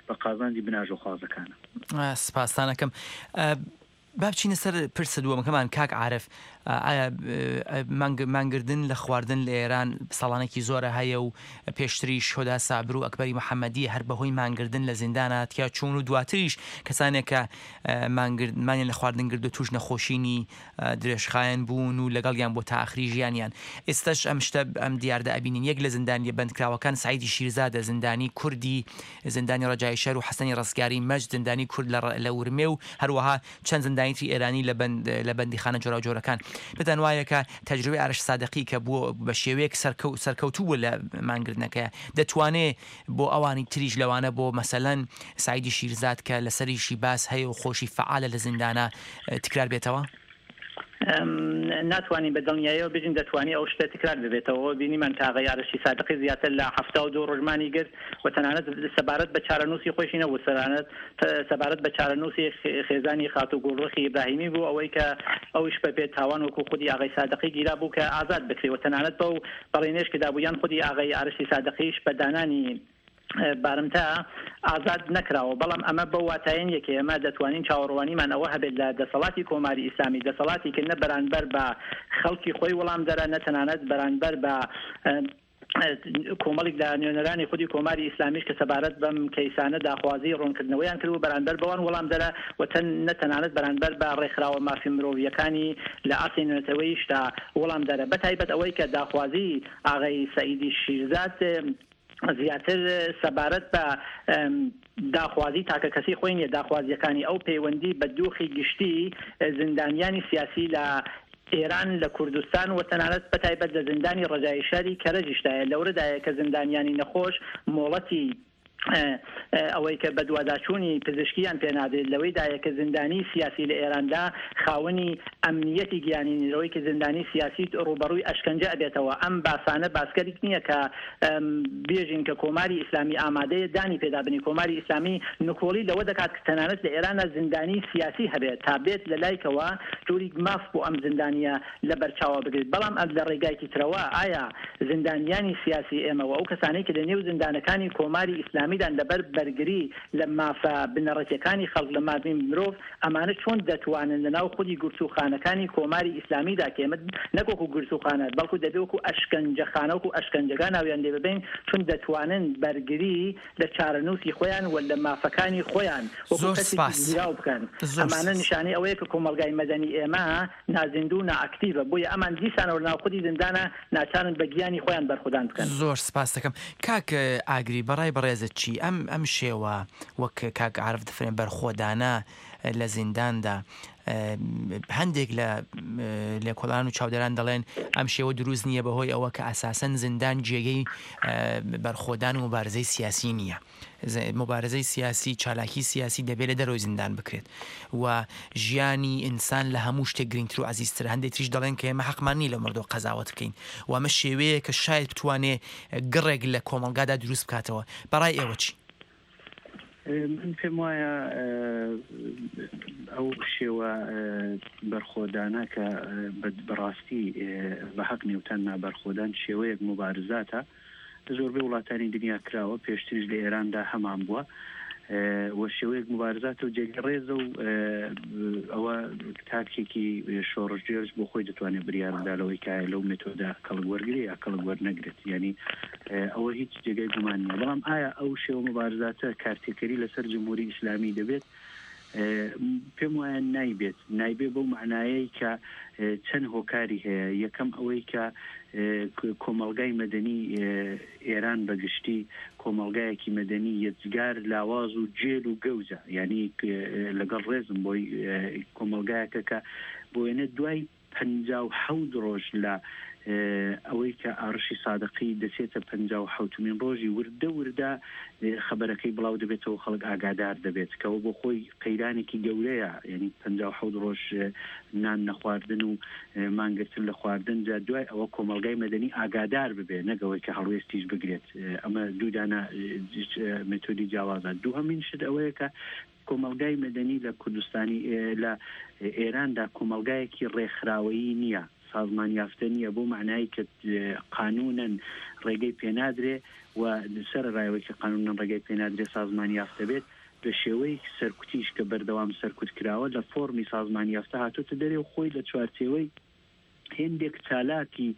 بە قازانجی بناژۆخوازەکانە. سپاستان ئەکەم. با بچینە سەر پرسە دووەمەکەمان کاک عارف ئایا مانگردن لە خواردن لە ئێران ساڵانێکی زۆرە هەیە و پێشتریش هۆدا سابر و ئەکبەری محەممەدی هەر بەهۆی مانگردن لە زیندانە تیا چوون و دواتریش کەسانێک کە مانگرد مانیان لە خواردن گرت و توش نەخۆشینی درێژخایەن بوون و لەگەڵیان بۆ تا ئاخری ژیانیان ئێستاش ئەم شتە ئەم دیاردە ئەبینین یەک لە زیندانیە بەندکراوەکان سەعیدی شیرزادە زیندانی کوردی زیندانی ڕەجایی شەهر و حەسەنی ڕەستگاری مەجد زیندانی کورد لە لە ورمێ و هەروەها چەند زیندانی تری ئێرانی لە بەند لە بەندیخانە جۆراوجۆرەکان. پێتان وایە کە تەجروبەی ئارەش سادقی کە بووە بە شێوەیەک سەرکەو سەرکەوتوو بووە لە مانگرتنەکەیا دەتوانێ بۆ ئەوانی تریش لەوانە بۆ مەسەلەن سەعیدی شیرزاد کە لەسەریشی باس هەیە و خۆشی فەعالە لە زیندانا تکرار بێتەوە؟ ناتوانین بە دڵنیایەوە بژین دەتوانی ئەو شتە تکرار ببێتەوە. بینیمان کە ئاغای ئارەشی سادقی زیاتر لە 72 ڕۆژ مانی گرت و تەنانەت سەبارەت بە چارەنووسی خۆیشی نەبوو، سەرانەت سەبارەت بە چارەنووسی خێزانی خاتوو گوڵڕوخی ئیبراهیمی بوو، ئەوەی کە ئەویش بە بێ تاوان وەکوو خودی ئاغای سادقی گیرا بوو کە ئازاد بکرێ و تەنانەت بەو بەڵێنەیش کە دابوو یان خودی ئاغای ئارەشی سادقیش بە دانانی بارمتە ئازاد نەکراوە، بەڵام ئەمە بەو واتایە نییە کە ئێمە دەتوانین چاوەڕوانیمان ئەوە هەبێت لە دەسەڵاتی کۆماری ئیسلامی، دەسەڵاتی کە نە بەرانبەر بە خەڵکی خۆی وەڵامدەرە، نە تەنانەت بەرانبەر بە کۆمەڵیک لە نوێنەرانی خودی کۆماری ئیسلامیش کە سەبارەت بەم کەیسانە داخوازی ڕوونکردنەوەیان کردبوو بەرانبەر بەوان وەڵامدەرە و تەن نە تەنانەت بەرانبەر بە ڕێکخراوە مافی مرۆڤییەکانی لە ئاستی نێونەتەوەییشدا وەڵامدەرە بەتایبەت ئەوەی کە داخوازی ئاغای سەعیدی شیرزاد زیاتر سەبارەت بە داخوازی تاکەکەسی خۆی نیە، داخوازییەکانی ئەو پەیوەندی بە دۆخی گشتی زیندانیانی سیاسی لە ئێران، لە کوردستان و تەنانەت بەتایبەت لە زیندانی ڕەجایی شاری کەرەجیشدایە، لەورەدایە کە زیندانیانی نەخۆش مۆڵەتی. ئەوەی کە بەدواداچوونی پزیشکییان پێ نادرێت لەوەیدایە کە زیندانیی سیاسی لە ئێراندا خاوەنی ئەمنییەتی گیانی نین، لەوەی کە زیندانیی سیاسی ڕووبەڕووی ئەشکەنجە ئەبێتەوە. ئەم باسانە باسگەلێک نییە کە بێژین کە کۆماری ئیسلامی ئامادەیە دانی پێدا بنێ. کۆماری ئیسلامی نکۆڵی لەوە دەکات کە تەنانەت لە ئێراندا زیندانیی سیاسی هەبێت تا بێت لە لایکەوە جۆریک ماف بۆ ئەم زیندانییە لە بەرچاوە بگرێت، بەڵام لە ڕێگایکی ترەوە ئایا زیندانیانی سیاسی ئێمە و ئەو کەسانەی کە لە نێو زیندانەکانی کۆماری ئیسلامیدان لەبەر بەرگری لە مافە بنەڕەتیەکانی خەڵک لە مافی مرۆڤ ئەمانە چۆن دەتوانن لە ناو خودی گرتووخانەکانی کۆماری ئیسلامیدا کە ئێمە نەک وەکوو گرتووخانە بەڵکوو دەبێ وەکوو ئەشکەنجەخانە وەکوو ئەشکەنجەگا ناویان لێ ببەین چون دەتوانن بەرگری لە چارەنووسی خۆیان و لە مافەکانی خۆیان وەکوو زۆر کەسێکی سپاس. گیراو بکەن زۆر ئەمانە سپاس. نیشانەی ئەوەیە کە کۆمەڵگای مەدەنی ئێمە نازیندوو و نائەکتیڤە، بۆیە ئەمان دیسانەوە لەناو خودی زیندانا ناچارن بە گیانی خۆیان بەرخودان بکەن. زۆر سپاست دەکەم کاک ئاگری بەڕای بەڕێزت چی ئەم ئەم شێوە وەک کاک عارف دەفرێن بەرخۆدانە لە زینداندا هەندێک لە لێکۆڵان و چاودێران دەڵێن ئەم شێوە دروست نییە بەهۆی ئەوە کە ئەساسەن زیندان جێگەی بەرخۆدان و مبارزەی سیاسی نییە. موبارزەی سیاسی، چالاکی سیاسی دەبێ لە دەرەوەی زیندان بکرێت و ژیانی ئینسان لە هەموو شتێک گرینگتر و عەزیزترە. هەندێک تریش دەڵێن کە ئێمە حەقمان نییە لەو مەردووە قەزاوەت بکەین و ئەمە شێوەیە کە شاید بتوانێ گڕێک لە کۆمەڵگادا دروست بکاتەوە. بە ڕای ئێوە چی؟ من پێم وایە ئەو شێوە بەرخۆدانە کە بەڕاستی بە حەق نێوتان نا بەرخۆدان شێوەیەک موبارزاتە، لە زۆربەی وڵاتانی دنیا کراوە، پێشتریش لە ئێراندا هەمان بووە و شێوەیەک موبارزاتە و جێگەی ڕێزە و ئەوە تاکێکی شۆڕشگێرش بۆ خۆی دەتوانێت بریار بدا لەوەی کە لەو مێتۆدە کەڵک وەرگرێ یا کەڵک وەرنەگرێت یانی ئەوە هیچ جێگەی گومان نییە بەڵام ئایا ئەو شێوە موبارزاتە کارتێکەری لەسەر جمهوری ئیسلامی دەبێت؟ پێم وایە نایبێت، نایبێ بەو مەعنایەی کە چەند هۆکاری هەیە، یەکەم ئەوەی کە کۆمەڵگای مەدەنی ئێران بە گشتی کۆمەڵگایەکی مەدەنی یەجگار لاواز و جێل و گەوجە، یانی لەگەڵ ڕێزم بۆی کۆمەڵگایەکە کە بۆ وێنە دوای 57 ڕۆژ لە ئەوەی کە ئاڕشی سادقی دەچێتە پەنجاوحەوتمین ڕۆژی وردە وردە خەبەرەکەی بڵاو دەبێتەوە خەڵک ئاگادار دەبێت کەەوە بۆ خۆی قەیرانێکی گەورەیە یعنی 57 ڕۆژ نان نەخواردن و مانگرتن لە خواردن جا دوای ئەوە کۆمەڵگای مەدەنی ئاگادار ببێ نەگەوەی کە هەڵوێستیش بگرێت ئەمە دوودانە مێتۆدی جیاوازە دووهەمین شت ئەوەیە کە کۆمەڵگای مەدەنی لە کوردستانی لە ئێراندا کۆمەڵگایەکی ڕێکخراوەیی نییە، سازمان یافتە نییە بەو مەعنای کە قانوونەن ڕێگەی پێنادرێ و سەرەڕای ئەوەی کە قانوونەن ڕێگەی پێنادرێ سازمان یافتە بێت بە شێوەیەکی سەرکوتیش کە بەردەوام سەرکوت کراوە لە فۆڕمی سازمان یافتە هاتۆتە دەرێ و خۆی لە چوارچێوەی هێندێک چالاکی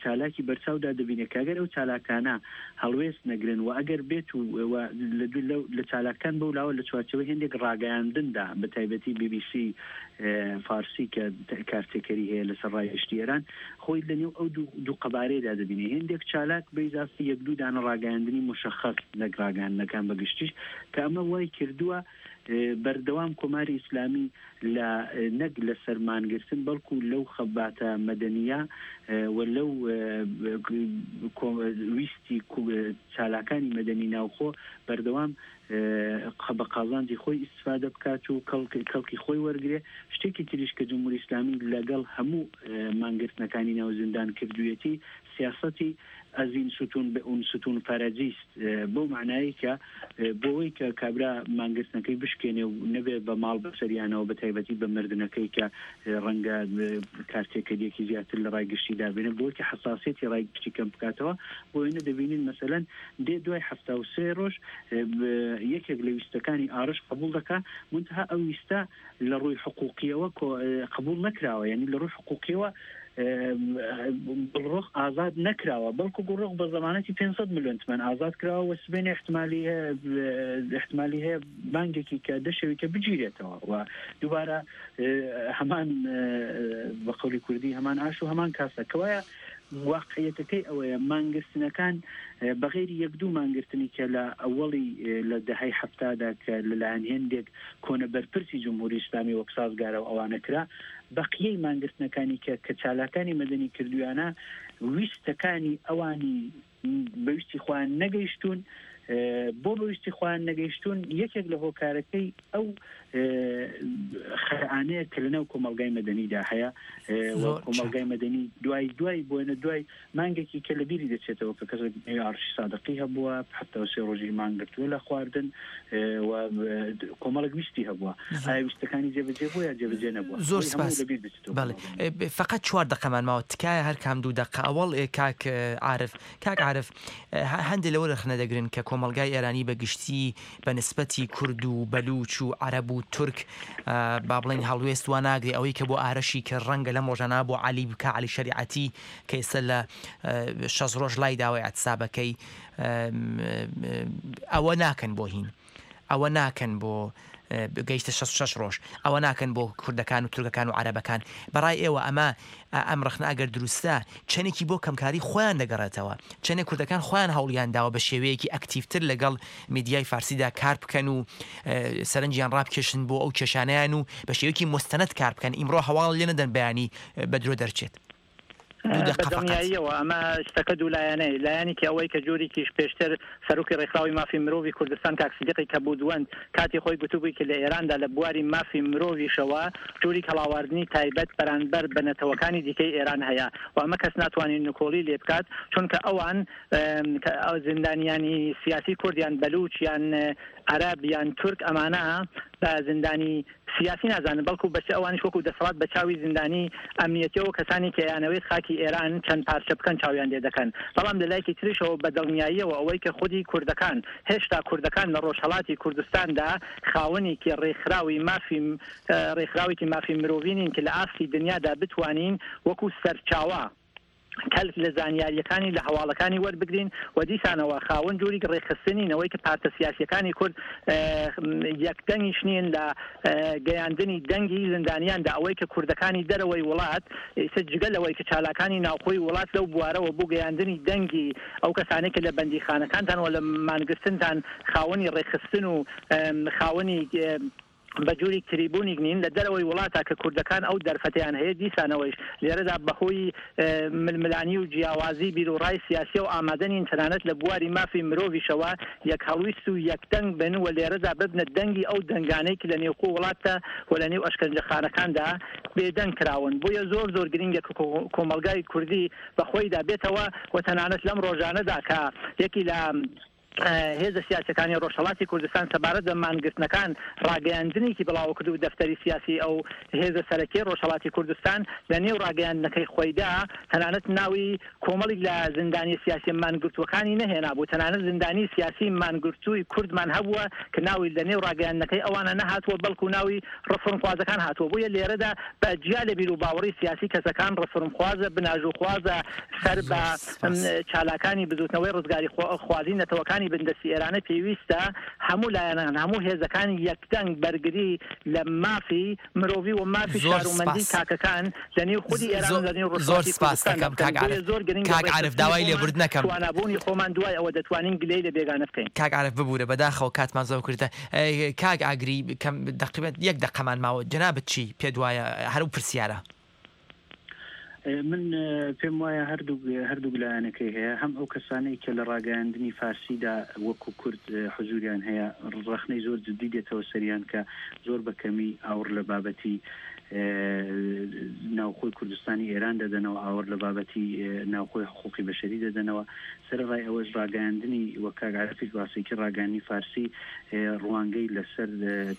چالاکی بەرچاودا دەبینێ کە ئەگەر ئەو چالاکانە هەڵوێست نەگرن و ئەگەر بێت و لە لە چالاکان بەو لاوە لە چوارچێوەی هێندێک ڕاگەیاندندا بە تایبەتی بی بی سی فارسی کە کارتێکەری هەیە لەسەر ڕای گشتی ئێران خۆی لە نێو ئەو دوو قەبارەیەدا دەبینێ هێندێک چالاک بە ئیزافەی یەک دوو دانە ڕاگەیاندنی موشەخەس نەک ڕاگەیاندنەکان بە گشتیش کە ئەمە وای کردووە بەردەوام کۆماری ئیسلامی لە نەک لەسەر مانگرتن بەڵکو لەو خەباتە مەدەنییە و لەو ویستی چالاکانی مەدەنی ناوخۆ بەردەوام بە قازانجی خۆی ئیستفادە بکات و کەڵکی خۆی وەرگرێ. شتێکی تریش کە جمهوری ئیسلامی لەگەڵ هەموو مانگرتنەکانی ناو زیندان کردوویەتی سیاسەتی از این ستون به اون ستون فرجی است بەو مەعنایەی کە بۆوەی کە کابرا مانگرتنەکەی بشکێنێ و نەبێ بە ماڵ بەسەریانەوە بە تایبەتی بە مردنەکەی کە ڕەنگە کارتێکەریەکی زیاتر لە ڕای گشتی دابێنێ بۆی کە حەساسیەتی ڕای گشتی کەم بکاتەوە بۆ وێنە دەبینین مەسەلەن دێ دوای 73 ڕۆژ یەکێک لە ویستەکانی ئارش قبوڵ دەکا مونتها ئەو ویستە لە ڕووی حقوقیەوە قبوڵ نەکراوە یعنی لە ڕووی حقوقیەوە گوڵڕۆخ ئازاد نەکراوە بەڵکو گوڵڕۆخ بە زەمانەتی 500 میلیۆن تمەن ئازاد کراوە و سبێنێ احتمالی احتمالی هەیە بانگێکی کە دەشەوی کە بگیرێتەوە و دووبارە هەمان بە قەولی کوردی هەمان ئاش و هەمان کاسە کەوایە واقعیەتەکەی ئەوەیە مانگرتنەکان بەغەیری یەک دوو مانگرتنی کە لە ئەوەڵی لە دەهەی حەفتادا کە لەلایەن هێندێک کۆنە بەرپرسی جمهوری ئیسلامی وەک سازگارە و ئەوانە کرا بەقیەی مانگرتنەکانی کە کە چالاکانی مەدەنی کردویانە ویستەکانی ئەوانی بە ویستی خۆیان نەگەیشتوون. بۆ بە ویستی خۆیان نەگەیشتوون یەکێک لە هۆکارەکەی ئەو خەرانەیە کە لەناو کۆمەڵگای مەدەنیدا هەیە و کۆمەڵگای مەدەنی دوای دوای بۆێنە دوای مانگێکی کە لە بیری دەچێتەوە کە کەسێک نێوی ئاڕشی سادقی هەبووە 73 ڕۆژی مانگرتووە لە خواردن و کۆمەڵێک ویستی هەبووە ئایا ویستەکانی جێبەجێ بووە یا جێبەجێ نەبووە زۆر سپاس بەڵێ فقط چوار دەقەمان ماوە تکایە هەر کام دوو دەقە ئەوەڵ کاک عارف کاک عارف هەندێ لەوە رەخنە دەگرن کە کۆمەڵگای ئێرانی بە گشتی بە نسبەتی کورد و بەلوچ و عەرەب و تورک با بڵێین هەڵوێست وا ناگرێ ئەوەی کە بۆ ئارەشی کرد رەنگە لەم رۆژانە بۆ عەلی بکا عەلی شەریعەتی کە ئێستا لە شەست رۆژ لای داوە ئیعتسابەکەی ئەوە ناکەن بۆ هین. ئەوە ناکەن بۆ گەیشتە 66 ڕۆژ ئەوە ناکەن بۆ کوردەکان و تورکەکان و عەرەبەکان بەڕای ئێوە ئەمە ئەم ڕەخنە ئەگەر دروستە چەندێکی بۆ کەمکاری خۆیان دەگەڕێتەوە چەندێک کوردەکان خۆیان هەوڵیان داوە بە شێوەیەکی ئەکتیڤتر لەگەڵ میدیای فارسیدا کار بکەن و سەرنجیان ڕابکێشن بۆ ئەو کێشانەیان و بە شێوەیەکی موستەنەد کار بکەن ئیمڕۆ هەواڵ لێ نەدەن بەیانی بە درۆ دەرچێت. دوو بە دەقە فەقەت. دڵنیاییەوە ئەمە شتەکە دوولایەنەیە، لایەنێکی ئەوەی کە جۆریکیش پێشتر سەرۆکی ڕێکخراوی مافی مرۆڤی کوردستان کاک سدیقی کەبوودوەند کاتی خۆی گوتبووی کە لە ئێراندا لە بواری مافی مرۆڤیشەوە جۆریک هەڵاواردنی تایبەت بەرانبەر بە نەتەوەکانی دیکەی ئێران هەیە و ئەمە کەس ناتوانێت نکۆڵی لێ بکات چونکە ئەوان زیندانیانی سیاسی کورد یان بەلووچ یان عەرەب یان تورک ئەمانە بە زیندانی سیاسی نازانن بەڵکو بە ئەوانیش وەکو دەسەڵات بە چاوی زیندانی ئەمنیەتیەوە کەسانی کە ئەیانەوێت خاکی ئێران چەند پارچە بکەن چاویان لێ دەکەن بەڵام لە لایکی تریشەوە بە دڵنیاییەوە ئەوەی کە خودی کوردەکان هێشتا کوردەکان لە ڕۆژهەڵاتی کوردستاندا خاوەنێکی ڕێکخراوی مافی ڕێکخراوێکی مافی مرۆڤی نین کە لە ئاستی دنیادا بتوانین وەکو سەرچاوە کەلک لە زانیارییەکانی لە هەواڵەکانی وەربگرین و دیسانەوە خاوەن جوریک ڕێکخستنین ئەوەی کە پارتە سیاسییەکانی کورد یەک دەنگیش نین لە گەیاندنی دەنگی زیندانیاندا ئەوەی کە کوردەکانی دەرەوەی وڵات ئیتر جگە لەوەی کە چالاکانی ناوخۆی وڵات لەو بوارەوە بۆ گەیاندنی دەنگی ئەو کەسانەی کە لە بەندیخانەکانتان و لە مانگرتنتان خاوەنی ڕێکخستن و خاوەنی بە جوریک تریبونیک نین لە دەرەوەی وڵاتا کە کوردەکان ئەو دەرفەتەیان هەیە دیسانەوەیش لێرەدا بە هۆی ململانی و جیاوازی بیروڕای سیاسیەوە ئامادە نین تەنانەت لە بواری مافی مرۆڤیشەوە یەکهەڵویست و یەکدەنگ بن و لێرەدا ببنە دەنگی ئەو دەنگانەی کە لە نێوخۆ وڵاتدا و لە نێو ئەشکەنجەخانەکاندا بێدەنگ کراون بۆیە زۆر زۆر گرینگە کە کۆمەڵگای کوردی بە خۆیدا بێتەوە و تەنانەت لەم ڕۆژانەدا کە یەکی لە هێزە سیاسیەکانی ڕۆژهەڵاتی کوردستان سەبارەت بە مانگرتنەکان ڕاگەیاندنێکی بڵاوکرد و دەفتەری سیاسی ئەو هێزە سەرەکیەی ڕۆژهەڵاتی کوردستان لە نێو ڕاگەیاندنەکەی خۆیدا تەنانەت ناوی کۆمەڵیک لە زیندانیە سیاسیە مانگرتووەکانی نەهێنابوو تەنانەت زیندانی سیاسی مانگرتووی کوردمان هەبووە کە ناوی لە نێو ڕاگەیاندنەکەی ئەوانە نەهاتووە بەڵکو ناوی ڕفورمخوازەکان هاتووە بۆیە لێرەدا بە جیا لە بیروباوەڕی سیاسی کەسەکان ڕفورمخوازە بناژوخوازە سەر بە چالاکانی بزوتنەوەی ڕزگاری خوازی نەتەوەکانی بندەستی ئێرانە پێویستە هەموو لایەنان هەموو هێزەکان یەکدەنگ بەرگری لە مافی مرۆڤی و مافی زۆر شارومەندی سپاس. تاکەکان لە نێو خودی ئێران و لە نێو زۆر ڕۆژهەڵاتی سپاس کوردستاندا دەکەم بکەن کاک بۆیە عارف زۆر گرنگە کاک عارف ڕێکخستنی داوای خۆمان لێبوردن ئەکەم. توانابوونی خۆمان دوای ئەوە دەتوانین گلەی لە بێگانە بکەین. کاک عارف ببورە بەداخەوە کاتمان زۆر کورتە کاک ئاگری کەم دەقیبەن یەک دەقەمان ماوە جەنابت چی پێت وایە هەر ئەو پرسیارە. من پێم وایە هەردووک هەردووک لایەنەکەی هەیە هەم ئەو کەسانەی کە لە ڕاگەیاندنی فارسیدا وەکو کورد حزوریان هەیە ڕەخنەی زۆر جدی دێتەوە سەریان کە زۆر بە کەمی ئاوڕ لە بابەتی ناوخۆی کوردستانی ئێران دەدەنەوە ئاوڕ لە بابەتی ناوخۆی حقوقی بەشەری دەدەنەوە سەرەڕای ئەوەش ڕاگەیاندنی وەک کاک عارفیش باسی کرد ڕاگەیاندنی فارسی ڕوانگەی لەسەر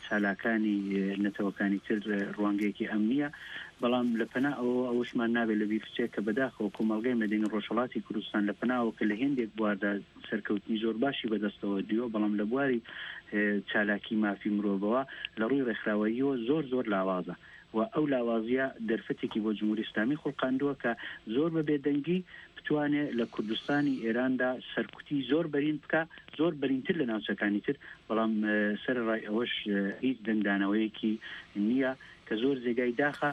چالاکانی نەتەوەکانی تر ڕوانگەیەکی ئەمنییە بەڵام لە پەنا ئەوەوە ئەوەشمان نابێت لەبیر بچێت کە بەداخەوە کۆمەڵگای مەدەنی ڕۆژهەڵاتی کوردستان لە پەنا ئەوە کە لە هێندێک بواردا سەرکەوتنی زۆر باشی بەدەستەوە دیوە بەڵام لە بواری چالاکی مافی مرۆڤەوە لە ڕووی ڕێکخراوەییەوە زۆر زۆر لاوازە و ئەو لاوازییە دەرفەتێکی بۆ جمهوری ئیسلامی خوڵقاندووە کە زۆر بە بێدەنگی بتوانێ لە کوردستانی ئێراندا سەرکوتی زۆر بەرین بکا، زۆر بەرینتر لە ناوچەکانی تر، بەڵام سەرەڕای ئەوەش هیچ دەنگدانەوەیەکی نییە کە زۆر جێگای داخە.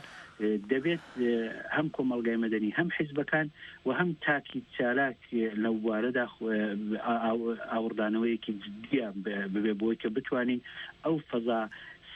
دەبێت هەم کۆمەڵگای مەدەنی، هەم حیزبەکان و هەم تاکی چالاک لەو بوارەدا ئاوڕدانەوەیەکی جدییان ببێ بۆی کە بتوانین ئەو فەزا.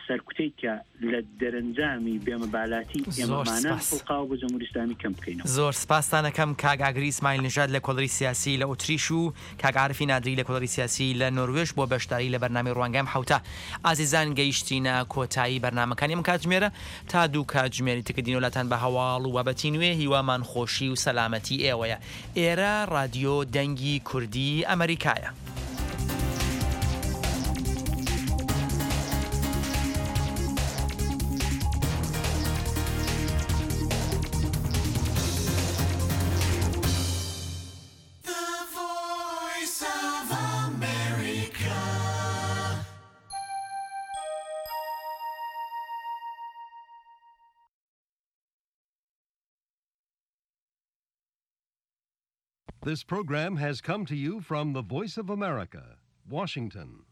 سەرکوتەی کە لە دەرەنجامی بێمەبالاتی زۆر ئێمەمانە سپاس. خوڵقاوە بۆ جمهوری ئیسلامی کەم بکەینەوە. زۆر سپاستان ئەکەم کاک ئاگری ئیسماعیل نژاد لە کۆڵەری سیاسی لە ئوتریش و کاک عارفی نادری لە کۆڵەری سیاسی لە نۆروێژ بۆ بەشداری لە بەرنامەی ڕوانگە ئەم حەوتە. ئازیزان گەیشتینە کۆتایی بەرنامەکانی ئەم کاتژمێرە تا دوو کاتژمێری تکە دینەوە لاتان بە هەواڵ و بابەتی نوێ هیوامان خۆشی و سەلامەتی ئێوەیە. ئێرە ڕادیۆ دەنگی کوردی ئەمەریکایە. This program has come to you from the Voice of America, Washington.